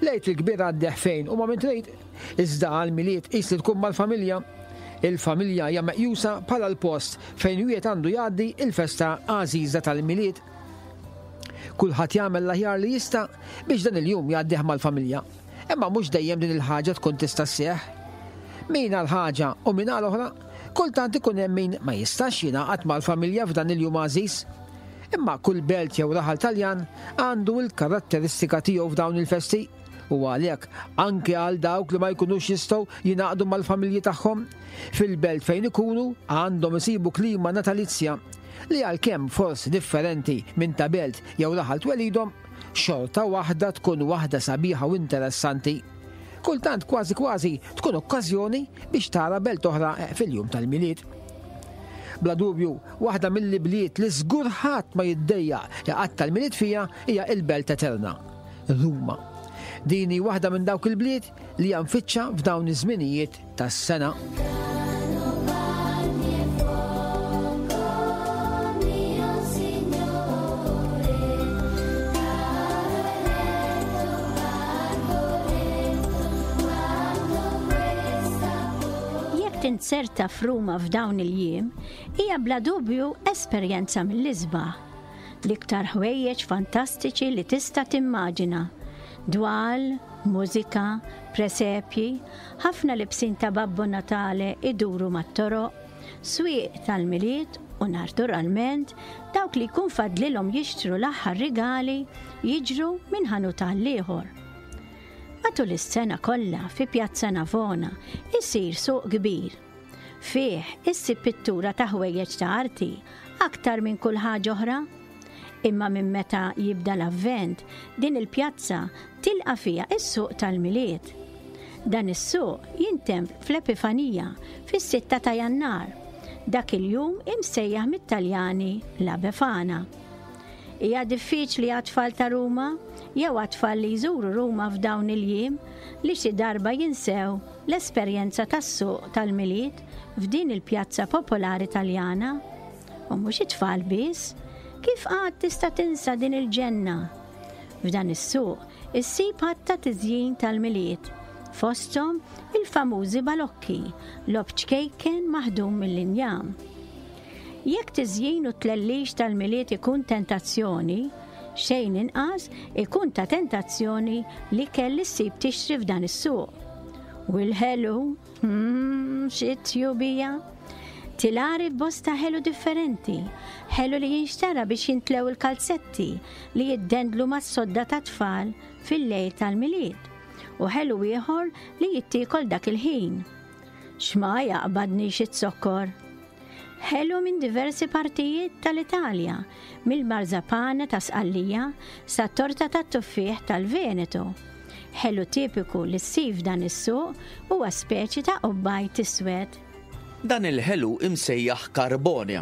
L-Għid il-Kbir għaddih fejn u ma' min trid, iżda għall-Milied qis li tkun mal-familja. Il-familja hija meqjusa bħala l-post fejn wieħed għandu jgħaddi l-festa għażiża tal-Milied. Kulħadd jagħmel l-aħjar li jista' biex dan il-jum jgħaddih mal-familja. Imma mhux dejjem din il-ħaġa tkun tista' sseħħ. Min għal ħaġa u min għal oħra, kultant ikun hemm min ma jistax jingħaqad mal-familja f'dan il-jum għażiż. Imma kull belt jew raħal Taljan għandu l-karatteristika tiegħu f'dawn il-festi u għalhekk anke għal dawk li ma jkunux jistgħu jingħaqdu mal-familji tagħhom, fil-belt fejn ikunu għandhom isibu klima natalizja li għalkemm forsi differenti minn ta' belt jew raħal twelidhom, xorta waħda tkun waħda sabiħa u interessanti. Kultant kważi kważi tkun okkażjoni biex tara belt oħra fil-jum tal-Milied. Bla dubju, waħda mill-ibliet li żgur ħadd ma jiddejjaq iqatta' l-Milied fiha hija l-Belt Eterna, Ruma. Din hi waħda minn dawk il-bliet li hija mfittxa f'dawn iż-żminijiet tas-sena. Jekk tinzerta f'Ruma f'dawn il-jiem, hija bla dubju esperjenza mill-isbaħ. L-iktar ħwejjeġ fantastiċi li tista' timmaġina. Dwal, mużika, presepji, ħafna libsin ta' Babbo Natale iduru mat-toroq, swieq tal-Milied u naturalment dawk li jkun fadlilhom jixtru l-aħħar rigali jiġru minn ħanut għall-ieħor. Matul is-sena kollha fi Piazza Navona isir suq kbir. Fih issib pittura ta' ħwejjeġ ta' arti aktar minn kull ħaġa oħra. Imma minn meta jibda l-Avvent, din il-pjazza tilqa' fiha s-suq tal-Milied. Dan is-suq jintemm fl-Epifanija fis-sitta ta' Jannar, dak il-jum imsejjaħ mit-Taljani La Befana. Hija diffiċli għat-tfal ta' Ruma, jew għat-tfal li jżuru Ruma f'dawn il-jiem, li xi darba jinsew l-esperjenza tas-suq tal-Milied f'din il-pjazza popolari Taljana. U mhux it-tfal biss, kif qatt tista' tinsa din il-ġenna? F'dan is-suq issib għadd ta' tiżjin tal-Milied, fosthom il-famużi balokki, logħob ċkejken maħdum mill-injam. Jekk tiżjin u t-tlellix tal-Milied ikun tentazzjoni, xejn inqas ikun ta' tentazzjoni l-ikel li ssib tixtri f'dan is-suq. U l-ħelu, mm, xi tjubija! Tilari f'bosta ħelu differenti, ħelu li jinxtara biex jintlew il-kalzetti li jiddendlu mas-sodda tat-tfal fil-lejl tal-Milied, u ħelu ieħor li jittiekol dak il-ħin. X'ma jaqbadnix iz-zokkor! Ħelu minn diversi partijiet tal-Italja, mill-marzapane ta' Sqallija sat-torta tat-tuffieħ tal-Veneto. Ħelu tipiku li ssib f'dan is-suq huwa speċi ta' qubbajt iswed. Dan il-ħelu imsejjaħ carbone.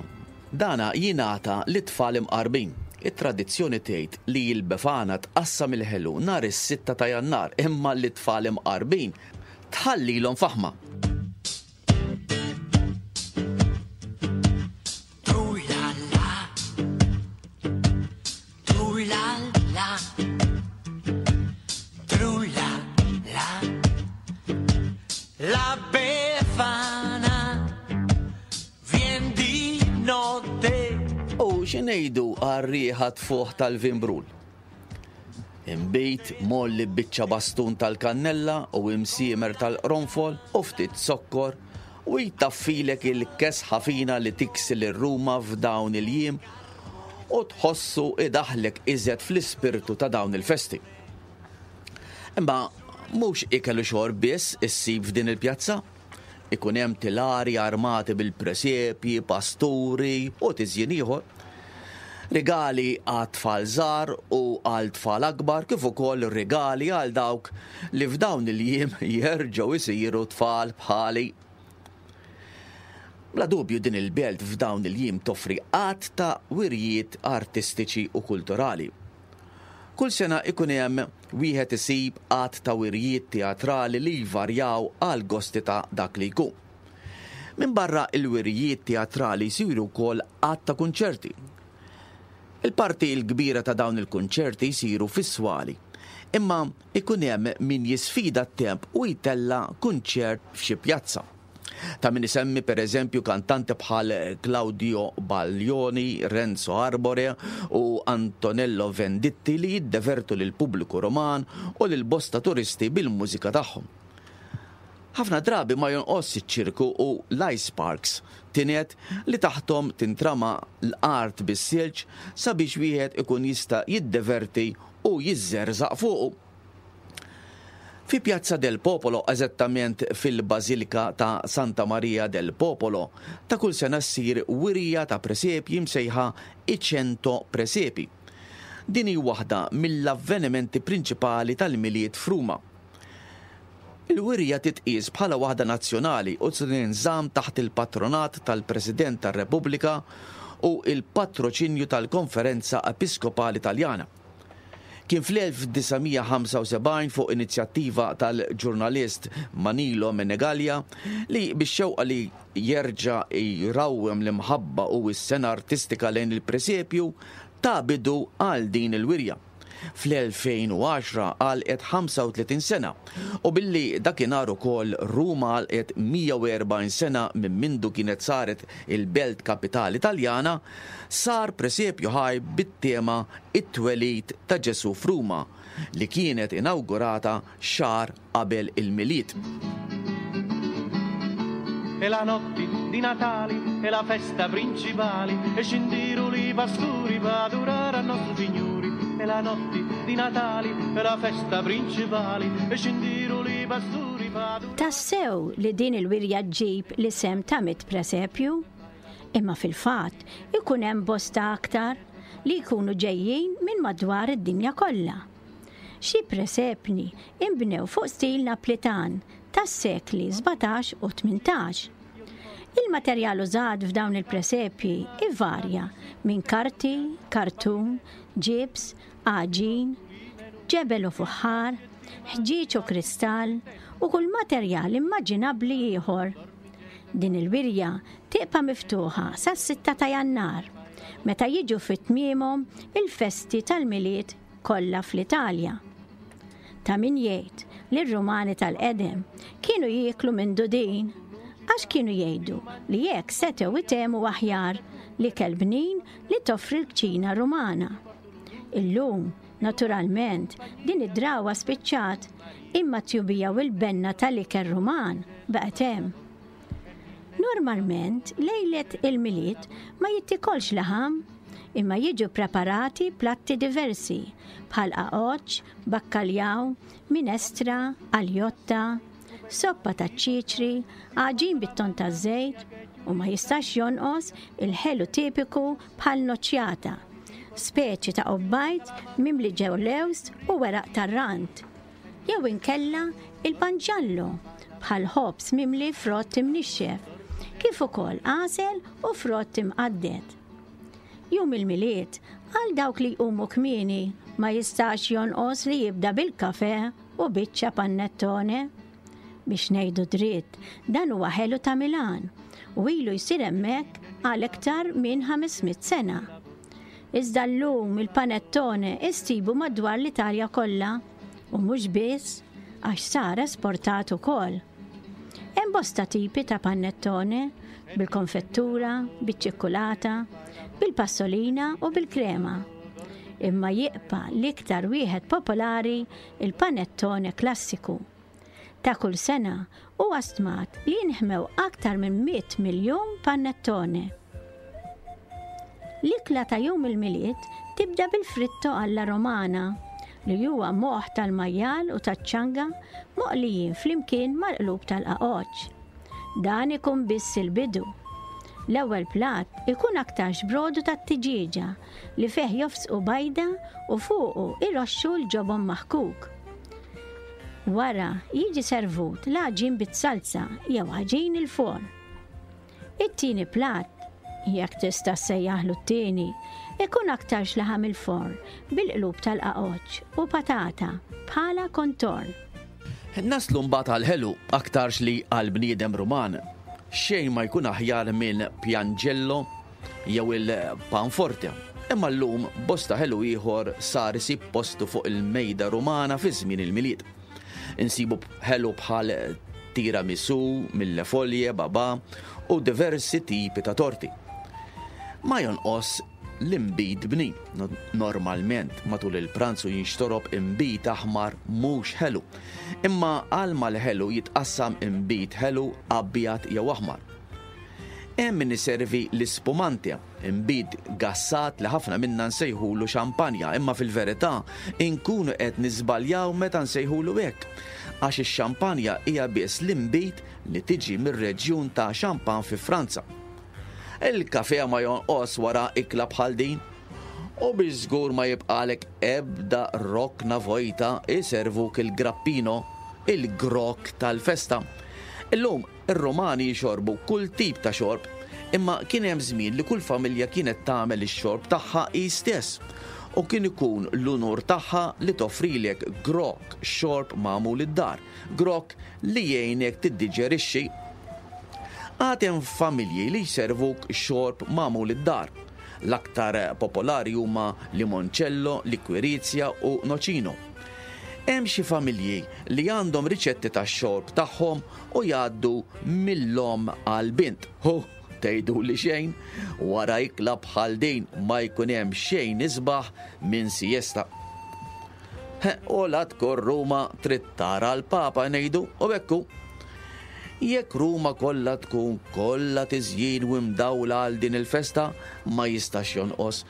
Dana jingħata lit-tfal imqarbin. It-tradizzjoni tgħid li l-Befana tqassam il-ħelu nhar is-sitta ta' Jannar imma lit-tfal imqarbin tħallilhom faħma. La Befana vien di notte. U xi ngħidu għar-riħa tfuħ tal-vimbrul? Inbid mgħolli b'biċċa bastun tal-kannella u imsiemer tal-qronfol u ftit zokkor u jtaffilek il-kesħa fina li tiksi lil Ruma f'dawn il-jiem u tħossu idaħħlek iżjed fl-ispirtu ta' dawn il-festi. Imma mhux ikel u xorb biss issib f'din il-pjazza. Ikun hemm tilari armati bil-presepji, pasturi u tiżjin ieħor. Rigali għat-tfal żgħar u għal tfal akbar kif ukoll rigali għal dawk li f'dawn il-jiem jerġgħu jsiru tfal bħali. Bla dubju din il-belt f'dawn il-jiem toffri għadd ta' wirjiet artistiċi u kulturali. Kull sena ikun hemm wieħed isib għadd ta' wirjiet teatrali li jvarjaw għall-gosti ta' dak li jkun. Minbarra l-wirjiet teatrali jsiru wkoll għadd ta' kunċerti. Il-parti l-kbira ta' dawn il-kunċerti jsiru fis-swali, imma ikun hemm min jisfida t-temp u jtella' kunċert f'xi pjazza. Ta' min isemmi per eżempju kantanti bħal Claudio Baglioni, Renzo Arbore u Antonello Venditti li jiddevertu lill-pubbliku Ruman u lil bosta turisti bil-mużika tagħhom. Ħafna drabi ma jonqosx iċ-ċirku u l-ice parks, tined li taħthom tintrama l-art bis-silġ sabiex wieħed ikun jista' jiddeverti u jiżżerżaq fuqu. Fi Piazza del Popolo, eżattament fil-Bażilika ta' Santa Maria del Popolo, ta' kull sena ssir wirja ta' presepji msejħa I Cento Presepi. Din hi waħda mill-avvenimenti prinċipali tal-Milied f'Ruma. Il-wirja titqies bħala waħda nazzjonali u tinżamm taħt il-patronat tal-President tar-Repubblika u l-patroċinju tal-Konferenza Episkopali Taljana. Kien fl-1975 fuq inizjattiva tal-ġurnalist Manilo Menegalia li bix-xewqa li jerġa' jrawwem l-imħabba u s-sengħa artistika lejn il-presepju ta bidu għal din il-wirja. Fl-2010 għalqet 35 sena u billi dakinhar ukoll Ruma għalqet 140 sena minn mindu kienet saret il-belt kapitali Taljana, sar presepju ħaj bit-tema It-Twelid ta' Ġesù f'Ruma, li kienet inawgurata xahar qabel il-Milied. E la notti di Natali è la festa principali e scindiru li pasturi p'adurare a nostru Signuri E la notti di Natali è la festa principali e scindiru li pasturi p'adurare Tassew li din il-wirja ġġib l-isem ta' mit presepju? Imma fil-fatt ikun hemm bosta aktar li jkunu ġejjin minn madwar id-dinja kollha. Xi presepni inbnew fuq stil Naplitan tas-sekli 17 u 18. Il-materjal użat f'dawn il-presepji ivarja minn karti, kartun, ġibs, għaġin, ġebel u fuħħar, ħġieġ u kristall u kull materjal immaġinabbli ieħor. Din il-wirja tibqa' miftuħa sas-sitta ta' Jannar, meta jiġu fi tmiemhom il-festi tal-Milied kollha fl-Italja. Ta' min jgħid li r-Rumani tal-qedem kienu jieklu minn dudin għax kienu jgħidu li hekk setgħu jtehmu aħjar l-ikel bnin li toffri l-kċina Rumana. Illum, naturalment, din id-drawwa spiċċat, imma t-tjubija u l-benna tal-ikel Ruman baqgħet hemm. Normalment, lejlet il-Milied ma jittikolx laħam, imma jiġu preparati platti diversi bħal qaqoċċ, bakkaljaw, minestra, aljotta, soppa taċ-ċiċri, għaġin bit-ton taż-żejt u ma jistax jonqos il-ħelu tipiku bħal noċjata, speċi ta' qubbajt mimli ġew lewż u weraq tar-rand. Jew inkella il-panġallo, bħal ħobż mimli frott imnixxef, kif ukoll għasel u frott imqadded. Jum il-Milied, għal dawk li jqumu kmieni, ma jistax jonqos li jibda bil-kafè u biċċa panettone. Biex ngħidu dritt, dan huwa ħelu ta' Milan u ilu jsir hemmhekk għal iktar minn 500 sena. Iżda llum il-panettone issibu madwar l-Italja kollha u mhux biss għax sar esportat ukoll. Hemm bosta tipi ta' panettone, bil-konfettura, biċ-ċikkulata, bil-passolina u bil-krema. Imma jibqa' l-iktar wieħed popolari il-panettone klassiku. Ta' kull sena huwa stmat li jinħmew aktar minn 100 miljun panettone. L-ikla ta' jum il-Milied tibda bil-fritto alla romana, li huwa moħħ tal-majjal u taċ-ċanga moqlijin flimkien mal-qlub tal-qaqoċċ. Dan ikun biss il-bidu. L-ewwel platt ikun aktarx brodu tat-tiġieġa li fih jofsqu bajda u fuqu iroxxu l-ġobon maħkuk. Wara jiġi servut l-għaġin bit-salza jew għaġin il-forn. It-tieni platt, jekk tista' ssejjaħlu t-tieni, ikun aktarx laħam il-forn bil-qlub tal-qaqoċċ u patata bħala kontorn. Naslu mbagħad għall-ħelu, aktarx li għall-bniedem Ruman xejn ma jkun aħjar minn pjanġello jew il-panforte. Imma llum bosta ħelu ieħor sar isib postu fuq il-mejda Rumana fi żmien il-Milied. Insibu ħelu bħal tiramisu, millefolje, babà u diversi tipi ta' torti. Ma jonqos l-inbid bnin. Normalment matul il-pranzu jinxtorob inbid aħmar mhux ħelu. Imma għal mal-ħelu jitqassam inbid ħelu abjad jew aħmar. Hemm min iservi l-ispumante, inbid gassat li ħafna minna nsejħulu xampanja, imma fil-verità inkunu qed niżbaljaw meta nsejħulu hekk, għax ix-xampanja hija biss l-inbid li tiġi mir-reġjun ta' Champagne fi Franza. Il-kafè ma jonqos wara ikla bħal din. U biex żgur ma jibqagħlek ebda rokna vojta iservuk il-grappino, il-grokk tal-festa. Illum Ir-Rumani jixorbu kull tip ta' xorb, imma kien hemm żmien li kull familja kienet tagħmel ix-xorb tagħha hi stess, u kien ikun l-unur tagħha li toffrilek grokk xorb magħmul id-dar, grokk li jgħinek tiddiġerixxi. Għad hemm familji li jservuk xorb magħmul id-dar. L-aktar popolari huma limoncello, liquirizia u nocino. Hemm xi familji li għandhom riċetti tax-xorb tagħhom u jgħaddu mill-omm għall-bint. Hu, tgħiduli xejn, wara ikla bħal din ma jkun hemm xejn isbaħ minn siesta. U la tkun Ruma trid tara l-Papa ngħidu u hekk hu. Jekk Ruma kollha tkun kollha tiżjin u mdawla għal din il-festa, ma jistax jonqos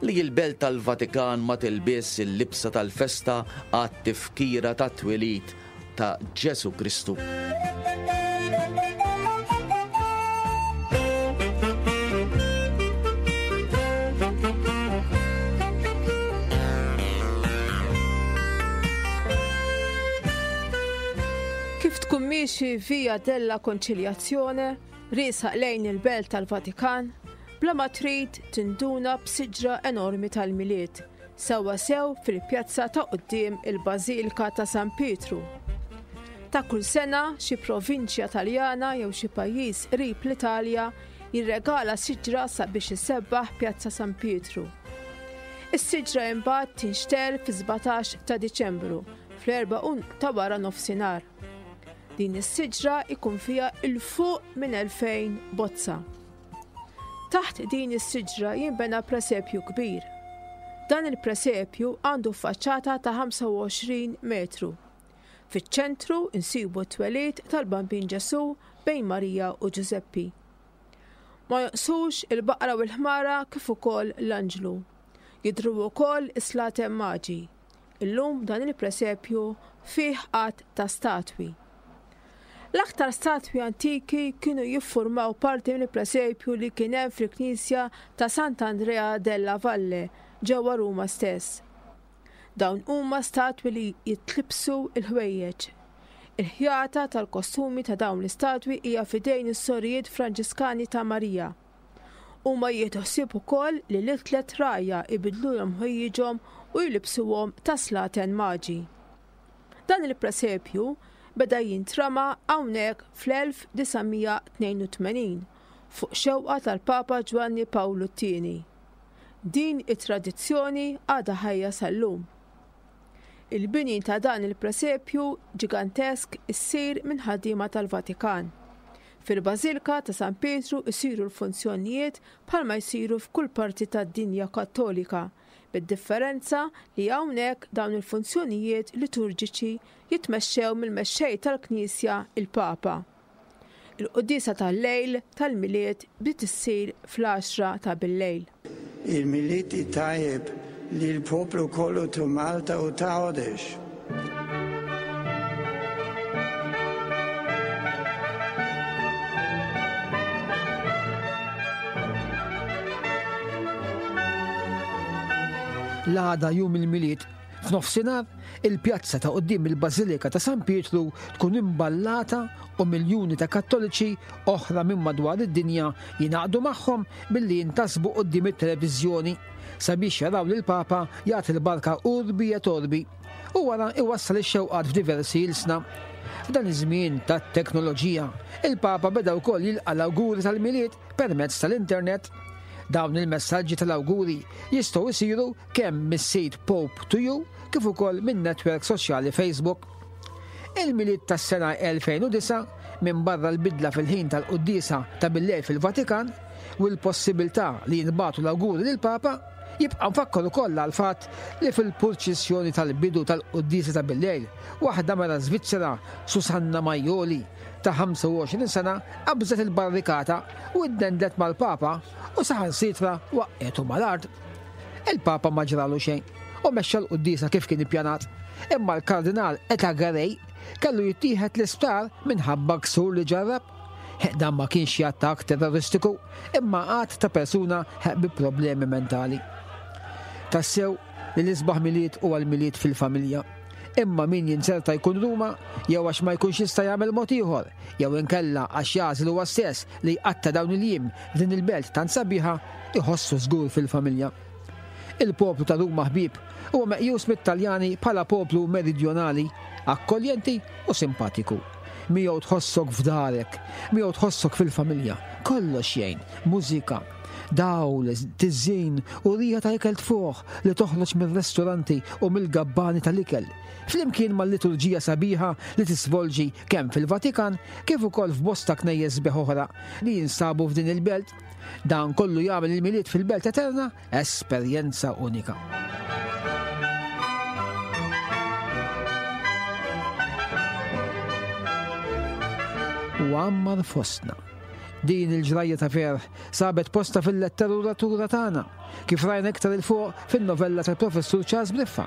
li l-Belt tal-Vatikan ma tilbisx il-libsa tal-festa għat-tifkira tat-twelid ta' Ġesù Kristu. Kif tkun miexi Via della Conciliazione, riesaq lejn il-Belt tal-Vatikan, bla ma trid tinduna b'siġra enormi tal-Milied sewwasew fil-pjazza ta' quddiem il-Bażilika ta' San Pietru. Ta' kull sena xi provinċja Taljana jew xi pajjiż qrib l-Italja jirregala siġra sabiex issebbaħ Pjazza San Pietru. Is-siġra imbagħad tinxtegħel fis-17 ta' Diċembru fl-erbgħa u ta' wara nofsinhar. Din is-siġra jkun fiha 'l fuq minn 2000 bozza. Taħt din is-siġra jinbena presepju kbir. Dan il-presepju għandu faċċata ta' 25 metru. Fiċ-ċentru nsibu t-twelid tal-Bambin Ġesù bejn Marija u Ġużeppi. Ma jonqsux il-baqra u l-ħmara kif ukoll l-anġlu. Jidhru wkoll is-slaten maġi. Illum dan il-presepju fih għadd ta' statwi. L-aktar statwi antiki kienu jiffurmaw parti mill-presepju li kien hemm fil-knisja ta' Sant'Andrea della Valle ġewwa Ruma stess. Dawn huma statwi li jitlibbsu l-ħwejjeġ. Il-ħjata tal-kostumi ta' dawn l-istatwi hija f'idejn is-Sorijiet Franġiskani ta' Marija. Huma jieħdu ħsieb ukoll li lit-tlett rgħajja jbiddlulhom ħwejjiġhom u jlibbsuhom ta' slaten maġi. Dan il-presepju beda jintrama hawnhekk fl-1982 fuq xewqa tal-Papa Ġwanni Pawlu t-Tieni. Din it-tradizzjoni għadha ħajja sal-lum. Il-bini ta' dan il-presepju ġigantesk issir minn ħaddiema tal-Vatikan. Fil-Bażilka ta' San Pietru jsiru l-funzjonijiet bħalma jsiru f'kull parti tad-dinja Kattolika, bid-differenza li hawnhekk dawn il-funzjonijiet liturġiċi jitmexxew mill-mexxej tal-Knisja, il-Papa. Il-quddiesa tal-lejl tal-Milied bdiet issir fl-għaxra ta' billejl. Il-Milied it-tajjeb lill-poplu kollu ta' Malta u ta' Għawdex. L-għada jum il-Milied, f'nofsinhar, il-pjazza ta' quddiem il-Bażilika ta' San Pietru tkun imballata u miljuni ta' Kattoliċi oħra minn madwar id-dinja jingħaqdu magħhom billi jintasbu quddiem it-televiżjoni sabiex jaraw lill-Papa jagħti l-barka urbi et orbi u wara iwassal ix-xewqat f'diversi ilsna. F'dan iż-żmien tat-teknoloġija, il-Papa beda wkoll jilqa' l-awguri tal-Milied permezz tal-internet. Dawn il-messaġġi tal-awguri jistgħu jsiru kemm mis-sit Pope to You kif ukoll min-netwerk soċjali Facebook. Il-Milied tas-sena 2009, minbarra l-bidla fil-ħin tal-quddiesa ta' billejl fil-Vatikan u l-possibilità li jinbagħtu l-awguri lill-Papa, jibqa' mfakkar ukoll għall-fatt li fil-purċissjoni tal-bidu tal-quddiesa ta' billejl, waħda mara Żvizzera, Susanna Maioli, ta' 25 sena, qabżet il-barrikata u ddendlet mal-Papa u saħansitra waqqgħetu mal-art. Il-Papa ma ġralu xejn u mexxa l-quddiesa kif kien ippjanat, imma l-Kardinal Etagaray kellu jittieħed l-isptar minħabba ksur li ġarrab. Dan ma kienx xi attakk terroristiku, imma att ta' persuna bi problemi mentali. Tassew li l-isbaħ Milied huwa l-Milied fil-familja. Imma min jinzerta jkun Ruma jew għax ma jkunx jista' jagħmel mod ieħor, jew inkella għax jagħżel huwa stess li jqatta' dawn il-jiem f'din il-belt tant sabiħa, iħossu żgur fil-familja. Il-poplu ta' Ruma ħbieb huwa meqjus mit-Taljani bħala poplu meridjonali, akkoljenti u simpatiku. Miegħu tħossok f'darek, miegħu tħossok fil-familja. Kollox jgħin, mużika, dawl, tiżjin u riħa ta' ikel tfuħ li toħroġ mir-restoranti u mill-gabbani tal-ikel, flimkien mal-liturġija sabiħa li tisvolġi kemm fil-Vatikan kif ukoll f'bosta knejjes sbieħ oħra li jinsabu f'din il-belt. Dan kollu jagħmel il-Milied fil-Belt Eterna esperjenza unika. U għammar fostna. Din il-ġrajja ta' ferħ sabet posta fil-letteratura tagħna, kif rajna iktar 'il fuq fin-novella tal-Professur Charles Briffa.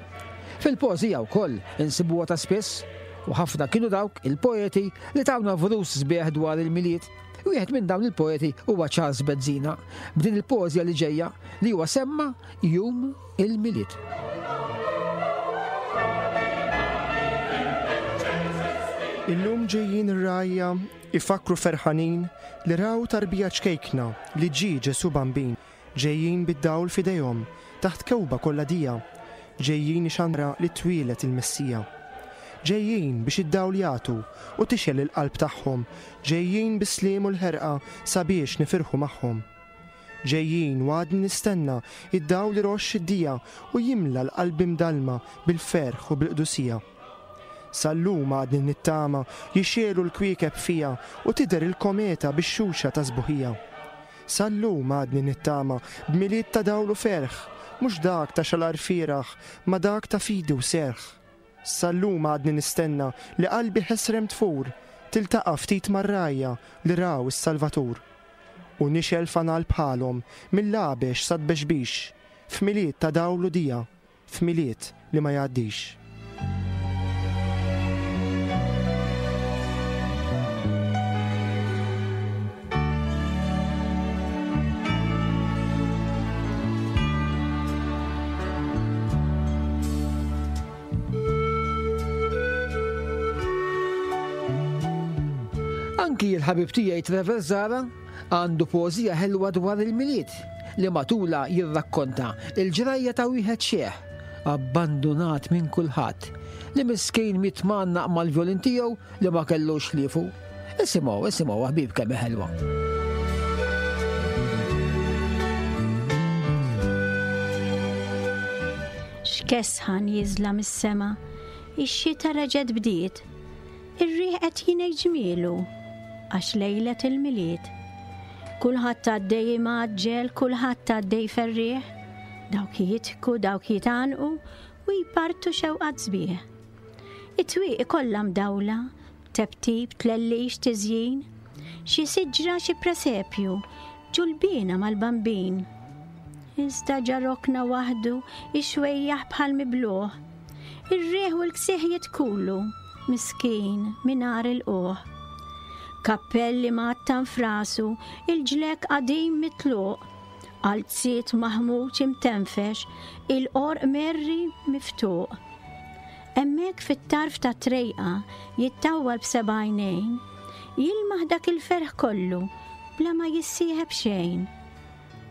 Fil-poeżija wkoll insibuha ta' spiss, u ħafna kienu dawk il-poeti li tawna vrus sbieħ dwar il-Milied. Wieħed minn dawn il-poeti huwa Charles Bezzina, b'din il-poeżija li ġejja li huwa semma Jum il-Milied. Illum ġejjin ir-rgħajja ifakkru ferħanin li raw tarbija ċkejkna li ġie Ġesù Bambin. Ġejjin bid-dawl f'idejhom, taħt kewba kollha dija, ġejjin ixandra li twieled il-Messija. Ġejjin biex id-dawl jagħtu u tixgħel il-qalb tagħhom, ġejjin bis-sliem u l-ħerqa sabiex nifirħu magħhom. Ġejjin u għadni nistenna id-dawl iroxx id-dija u jimla l-qalbi mdallma bil-ferħ u bil-qdusija. Sal-lum għadni nittama jixegħlu l-kwiekeb fija u tidher il-kometa bix-xuxa ta' sbuħija. Sal-lum għadni nittama b'Milied ta' dawl u ferħ, mhux dak ta' xalar fieragħ, ma dak ta' fidi u serħ. Sal-lum għadni nistenna li qalbi ħesrem tfur, tiltaqa' ftit mar-rgħajja li raw is-Salvatur. U nixgħel fanal bħalhom, mill-għabex sat-tbexbix, f'Milied ta' dawl u dija, f'Milied li ma jgħaddix. Anki l-ħabib tiegħi Trevor Zara għandu poeżija ħelwa dwar il-Milied li matulha jirrakkonta l-ġrajja ta' wieħed xiħ, abbandunat minn kulħadd, li miskin miet mgħannaq mal-vjolin tiegħu li ma kellux ħliefu. Isimgħu, isimgħu ħbieb kemm hi ħelwa. X'kesħa nieżla mis-sema, ix-xita reġgħet bdiet. Ir-riħ qed jingħid ġmielu għax lejlet il-Milied. Kulħadd għaddej imgħaġġel, kulħadd għaddej ferrieħ, dawk jidħku, dawk jitgħannqu u jpartu xewqat sbieħ. It-twieqi kollha mdawla, teptip, tlellix, tiżjin, xi siġra, xi presepju, ġulbiena mal-bambin. Iżda ġa rokna waħdu ix-xwejjaħ bħal mibluh. Ir-riħ u l-ksieħ jitkulu, miskin, mingħajr ilqugħ. Kappell imgħattan f'rasu, il-ġlekk qadim mitluq, qalziet maħmuġ imtenfex, il-qorq merri miftuq. Hemmhekk fit-tarf tat-trejqa jittawwal b'seba' għajnejn, jilmaħ dak il-ferħ kollu bla ma jissieħeb xejn.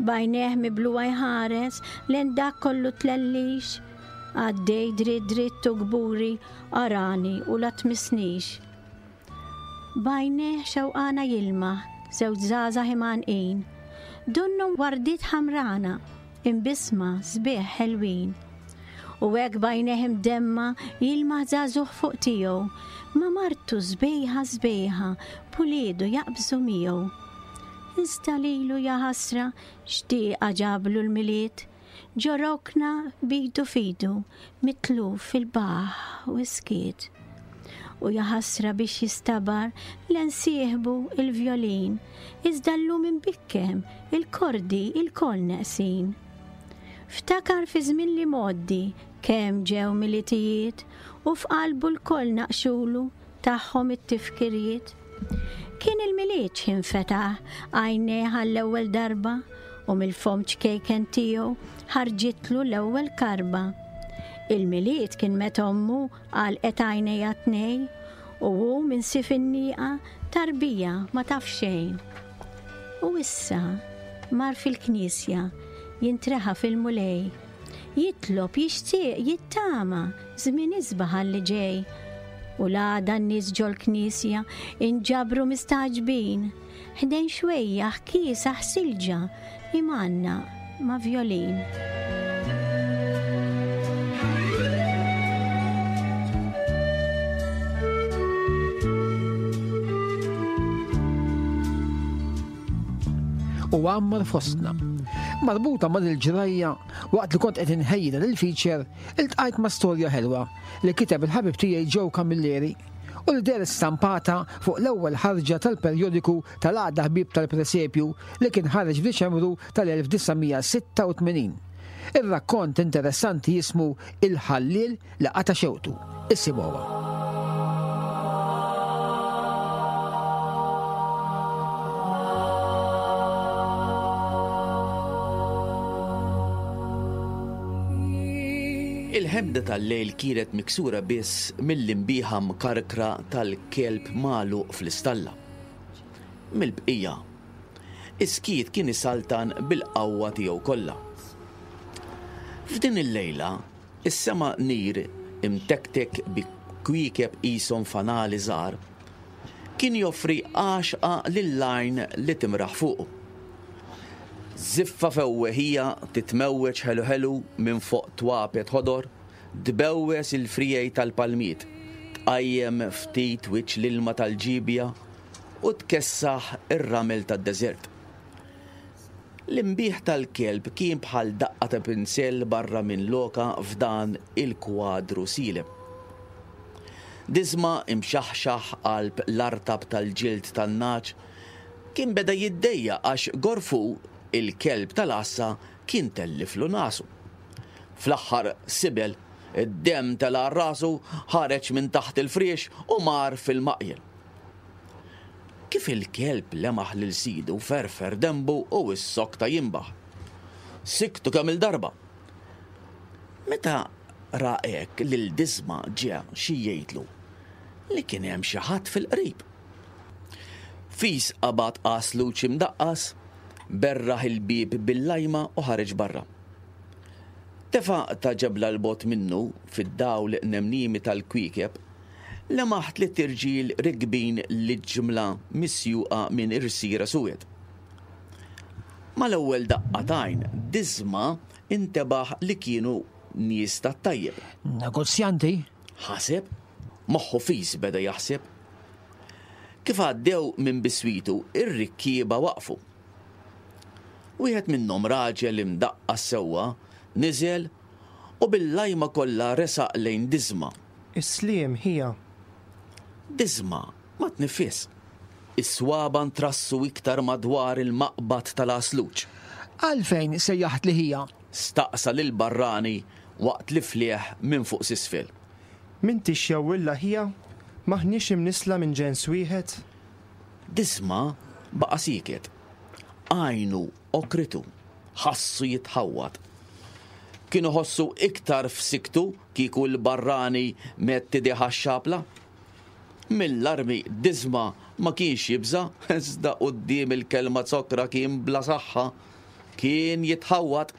B'għajnejh mibluha jħares lejn dak kollu tlellix, għaddej dritt dritt u kburi arani u la tmissnix. B'għajnejh xewqana jilmaħ żewġ żgħażagħ imgħannqin, donnhom wardiet ħamrana, imbissma, sbieħ, ħelwin. U hekk b'għajnejh imdemma jilmaħ żagħżugħ fuq tiegħu, ma' martu sbejħa sbejħa b'uliedu jaqbżu miegħu. Iżda lilu jaħasra x'dieqa ġablu l-Milied, ġo rokna b'idu f'idu, mitluf fil-baħħ u s-skiet. U jaħasra biex jistabar len sieħbu il-vjolin, iżda llum imbikkem, il-kordi ilkoll neqsin. Ftakar fi żmien l-imgħoddi kemm ġew Militijiet u f'qalbu lkoll naqxulu tagħhom it-tifkiriet. Kien il-Milied x'ħin fetaħ għajnejh għall-ewwel darba u mill-fomm ċkejken tiegħu ħarġitlu l-ewwel karba. Il-Milied kien meta ommu għalqet għajnejha tnej u hu minn sif in-nieqa tarbija ma taf xejn. U issa mar fil-knisja jintreħa fil-Mulej. Jitlob, jixtieq, jittama, żmien isbaħ għal li ġej. U l-għada n-nies ġol-knisja inġabru mistagħġbin, ħdejn xwejjaħ kiesaħ silġa imgħannaq ma' vjolin. U għammar fostna. Marbuta ma' dil-ġrajja, waqt li kont qed inħejji dan il-feature, iltqajt ma' storja ħelwa li kiteb il-ħabib tiegħi Joe Camilleri u li dehret stampata fuq l-ewwel ħarġa tal-perjodiku tal-Għaqda Ħbieb tal-Presepju li kien ħareġ f'Diċembru tal-1986. Ir-rakkont interessanti jismu Il-Ħalliel li Qata' Xewqtu. Isimgħuha. Il-ħemda tal-lejl kienet miksura biss mill-imbiħa mkarkra tal-kelb magħluq fl-istalla. Mill-bqija, is-skiet kien isaltan bil-qawwa tiegħu kollha. F'din il-lejla, is-sema nir imtektek bi kwiekeb qishom fanali żgħar, kien joffri għaxqa lill-għajn li timraħ fuqu. Żiffa fewweħija titmewweġ ħelu ħelu minn fuq twapet ħodor, tbewwes il-friegħi tal-palmiet, tqajjem ftit wiċċ l-ilma tal-ġiebja u tkessaħ ir-ramel tad-deżert. L-inbiħ tal-kelb kien bħal daqqa ta' pinzell barra minn lokha f'dan il-kwadru sielem. Diżma imxaħxaħ qalb l-artab tal-ġild tan-nagħaġ kien beda jiddejjaq għax Gorfu, il-kelb tal-għassa, kien telliflu nagħsu. Fl-aħħar sibel, id-demm tela' għal rasu, ħareġ minn taħt il-friex u mar fil-maqjel. Kif il-kelb lemaħ lil sidu ferfer denbu u issokta jinbaħ. Sikktu kemm-il darba. Meta ra hekk lil Disma ġie xi jgħidlu li kien hemm xi ħadd fil-qrib. Fis qabad għasluċ imdaqqas, berraħ il-bieb bil-lajma u ħareġ barra. Tefa' ta' ġebla 'l bogħod minnu, fid-dawl nemniemi tal-kwiekeb, lemaħ tlitt irġiel rikbin l-ġmla misjuqa minn irsiera suwed. Mal-ewwel daqqa t'għajn, Disma intebaħ li kienu nies tat-tajjeb. Negozjanti? Ħaseb. Moħħu fis beda jaħseb. Kif għaddew minn biswitu, ir-rikkieba waqfu. Wieħed minnhom raġel imdaqqas sewwa niżel u bil-lajma kollha resaq lejn Disma. Is-sliem, ħija. Disma ma tniffisx. Is-swaba' ntrassu iktar madwar il-maqbad tal-għasluġ. Għalfejn sejjaħtli ħija? Staqsa lill-barrani waqt li flieh minn fuq s'isfel. M'intix jewwilla ħija? M'aħniex imnissla minn ġens wieħed? Disma baqa' sieket. Għajnu għokritu. Ħassu jitħawwad. Kien iħossu iktar f'sikktu kieku l-barrani medd idejh għax-xapla. Mill-armi Disma ma kienx jibża' iżda quddiem il-kelma zokkra kien bla saħħa. Kien jitħawwad.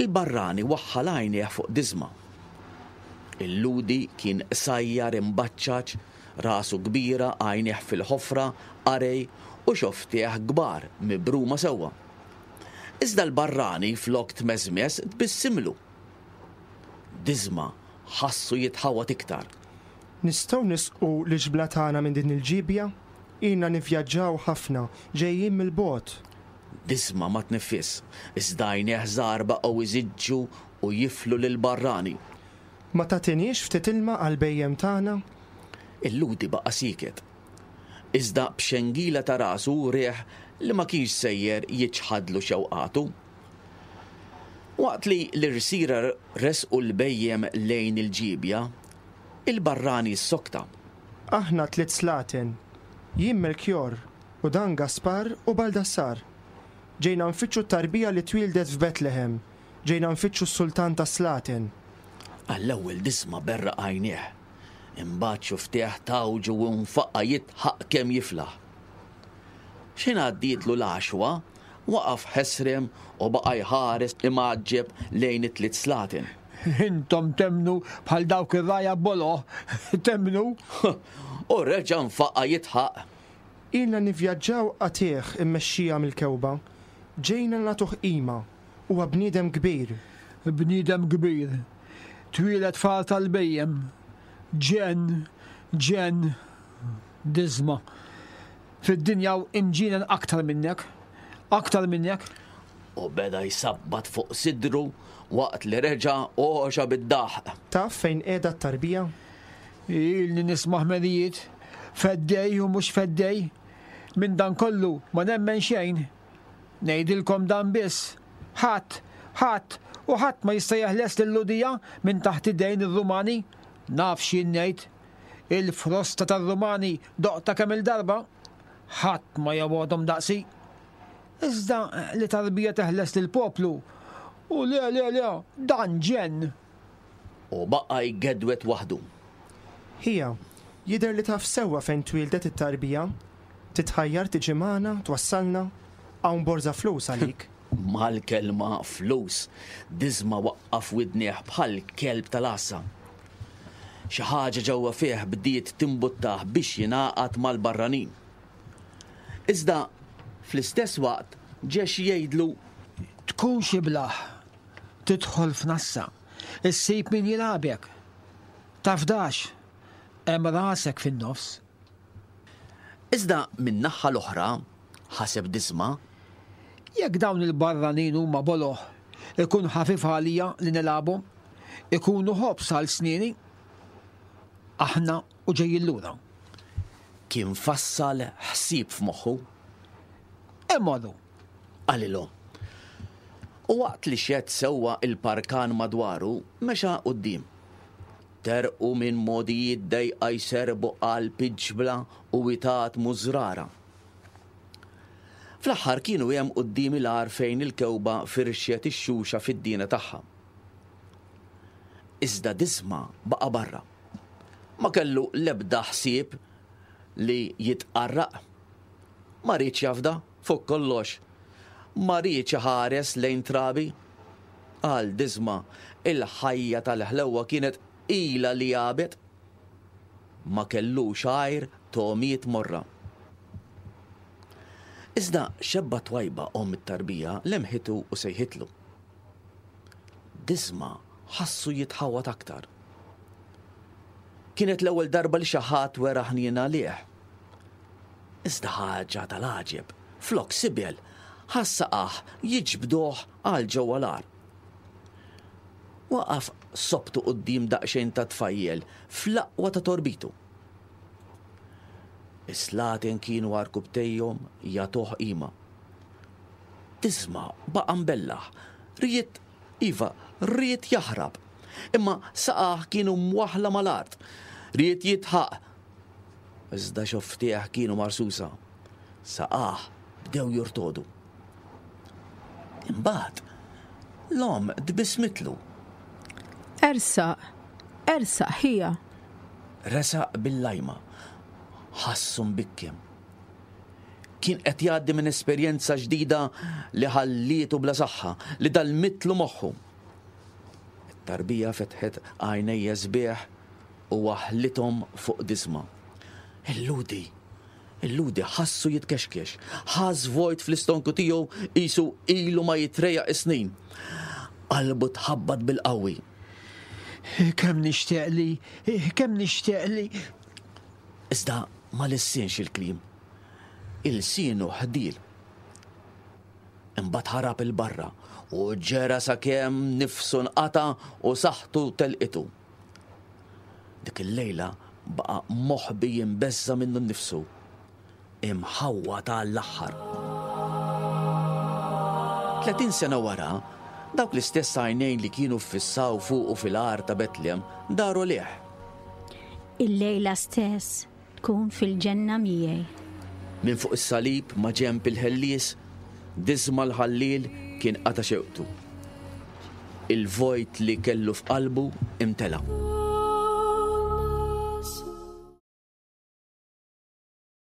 Il-barrani waħħal għajnejh fuq Disma. Il-Lhudi kien qsajjar imbaċċaċ, rasu kbira, għajnejh fil-ħofra, qarej u xofftejh kbar, mibruma sewwa. Iżda l-barrani flok tmeżmeż tbissimlu. Disma ħassu jitħawwad iktar. Nistgħu nisqu l-iġbla tagħna minn din il-ġiebja? Ilna nivvjaġġaw ħafna, ġejjin mill-bogħod. Disma ma tniffisx, iżda għajnejh żgħar baqgħu jżiġġu u jiflu lill-barrani. Ma tagħtiniex ftit ilma għall-bhejjem tagħna? Il-Lhudi baqa' sieket. Iżda b'xengila ta' rasu wrieh li ma kienx sejjer jiċħadlu xewqatu. Waqt li l-irsiera resqu l-bhejjem lejn il-ġiebja, il-barrani ssokta. Aħna tliet slaten, jien Melkjor, u dan Gaspar u Baldassar. Ġejna nfittxu t-tarbija li twieldet f'Betlehem, ġejna nfittxu s-Sultan tas-slaten. Għall-ewwel Disma berraq għajnejh, imbagħad xufftejh tgħawġu u nfaqa' jidħaq kemm jiflaħ. X'ħin għaddietlu l-għaxwa, waqaf ħesrem u baqa' jħares imgħaġġeb lejn it-tliet slaten. Intom temmnu bħal dawk ir-rgħajja boloh, temmnu? U reġa' nfaqa' jidħaq. Ilna nivvjaġġaw qatigħ immexxija mill-kewba. Ġejna nagħtuh qima. Huwa bniedem kbir. Bniedem kbir. Twieled f'għar tal-bhejjem. Ġenn, ġenn. Diżma. Fid-dinja hawn imġienen aktar minnek. Aktar minnek. U beda jsabbat fuq sidru waqt li reġa' għoxa bid-daħq. Taf fejn qiegħda t-tarbija? Ilni nisma' ħmerijiet, feddej u mhux feddej. Minn dan kollu ma nemmen xejn. Ngħidilkom dan biss, ħadd, ħadd u ħadd ma jista' jeħles lil-Lhudija minn taħt idejn ir-Rumani. Naf x'jien ngħid. Il-frosta tar-Rumani doqtha kemm-il darba. Ħadd ma jobgħodhom daqsi. Iżda li tarbija teħles lill-poplu, u le, le, le, dan ġenn! U baqa' jgedwed waħdu. Ħija, jidher li taf sewwa fejn twieldet it-tarbija. Titħajjar tiġi magħna, twassalna? Hawn borża flus għalik. Mal-kelma flus, Disma waqqaf widnejh bħal kelb tal-għassa. Xi ħaġa ġewwa fih bdiet timbuttah biex jingħaqad mal-barranin. Iżda fl-istess waqt ġie xi jgħidlu. Tkunx iblah, tidħol f'nassa. Issib min jilgħabek. Tafdax. Hemm rasek fin-nofs. Iżda min-naħha l-oħra, ħaseb Disma. Jekk dawn il-barranin huma boloh, ikun ħafif għalija li nilgħabhom. Ikunu ħobż għal snieni. Aħna u ġejjin lura. Kien fassal ħsieb f'moħħu. Imorru. Qalilhom. U waqt li xedd sewwa il-parkan madwaru, mexa quddiem. Terqu minn mogħdijiet dejqa jserrbu qalb iġbla u witat mużrara. Fl-aħħar kienu hemm quddiem il-għar fejn il-kewba firxet ix-xuxa fid-diena tagħha. Iżda Disma baqa' barra. Ma kellu l-ebda ħsieb. li jitqarraq. Ma riedx jafda, fuq kollox. Ma riedx iħares lejn trabi. Għal Disma, il-ħajja tal-ħlewwa kienet ilha li għabet. Ma kellux għajr togħmiet morra. Iżda xebba twajba omm it-tarbija lemħitu u sejħitlu. Disma ħassu jitħawwad aktar. Kienet l-ewwel darba li xi ħadd wera ħniena għalih. Iżda ħaġa tal-għaġeb, flok sibel, ħass saqajh jiġbduh għal ġewwa l-għar. Waqaf sobtu quddiem daqsxejn ta' tfajjel fl-aqwa ta' torbitu. Is-slaten kienu għarkubbtejhom jagħtuh qima. Disma baqa' mbellaħ. Ried, iva, ried jaħrab. Imma saqajh kienu mwaħħla mal-art. Ried jidħaq. Iżda xofftejh kienu marsusa. Saqajh bdew jurtodu. Imbagħad l-omm tbissmitlu. Ersaq, ersaq ħija. Resaq bil-lajma. Ħassu mbikkem. Kien qed jgħaddi minn esperjenza ġdida li ħallietu bla saħħa, li dalmitlu moħħu. It-tarbija fetħet għajnejha sbieħ u waħħlithom fuq Disma. Il-Lhudi! Il-Lhudi ħassu jitkexkex. Ħass vojt fl-istonku tiegħu qisu ilu ma jitrejjaq is-snin. Qalbu tħabbat bil-qawwi. Kemm nixtieq li, kemm nixtieq li. Iżda ma lissinx il-kliem. Ilsienu ħdiel. Imbagħad ħarab 'il barra u ġera sakemm nifsu nqata' u saħħtu telqitu. Dik il-lejla baqa' moħbi jimbeżża' minnu nnifsu, imħawwad għall-aħħar. 30 sena wara, dawk l-istess għajnejn li kienu ffissaw fuqu fil-għar ta' Betlem daru lejh. Illejla stess tkun fil-ġenna miegħi. Minn fuq is-salib maġenb il-ħellies, Disma l-ħalliel kien qata' xewqtu. Il-vojt li kellu f'qalbu imtela.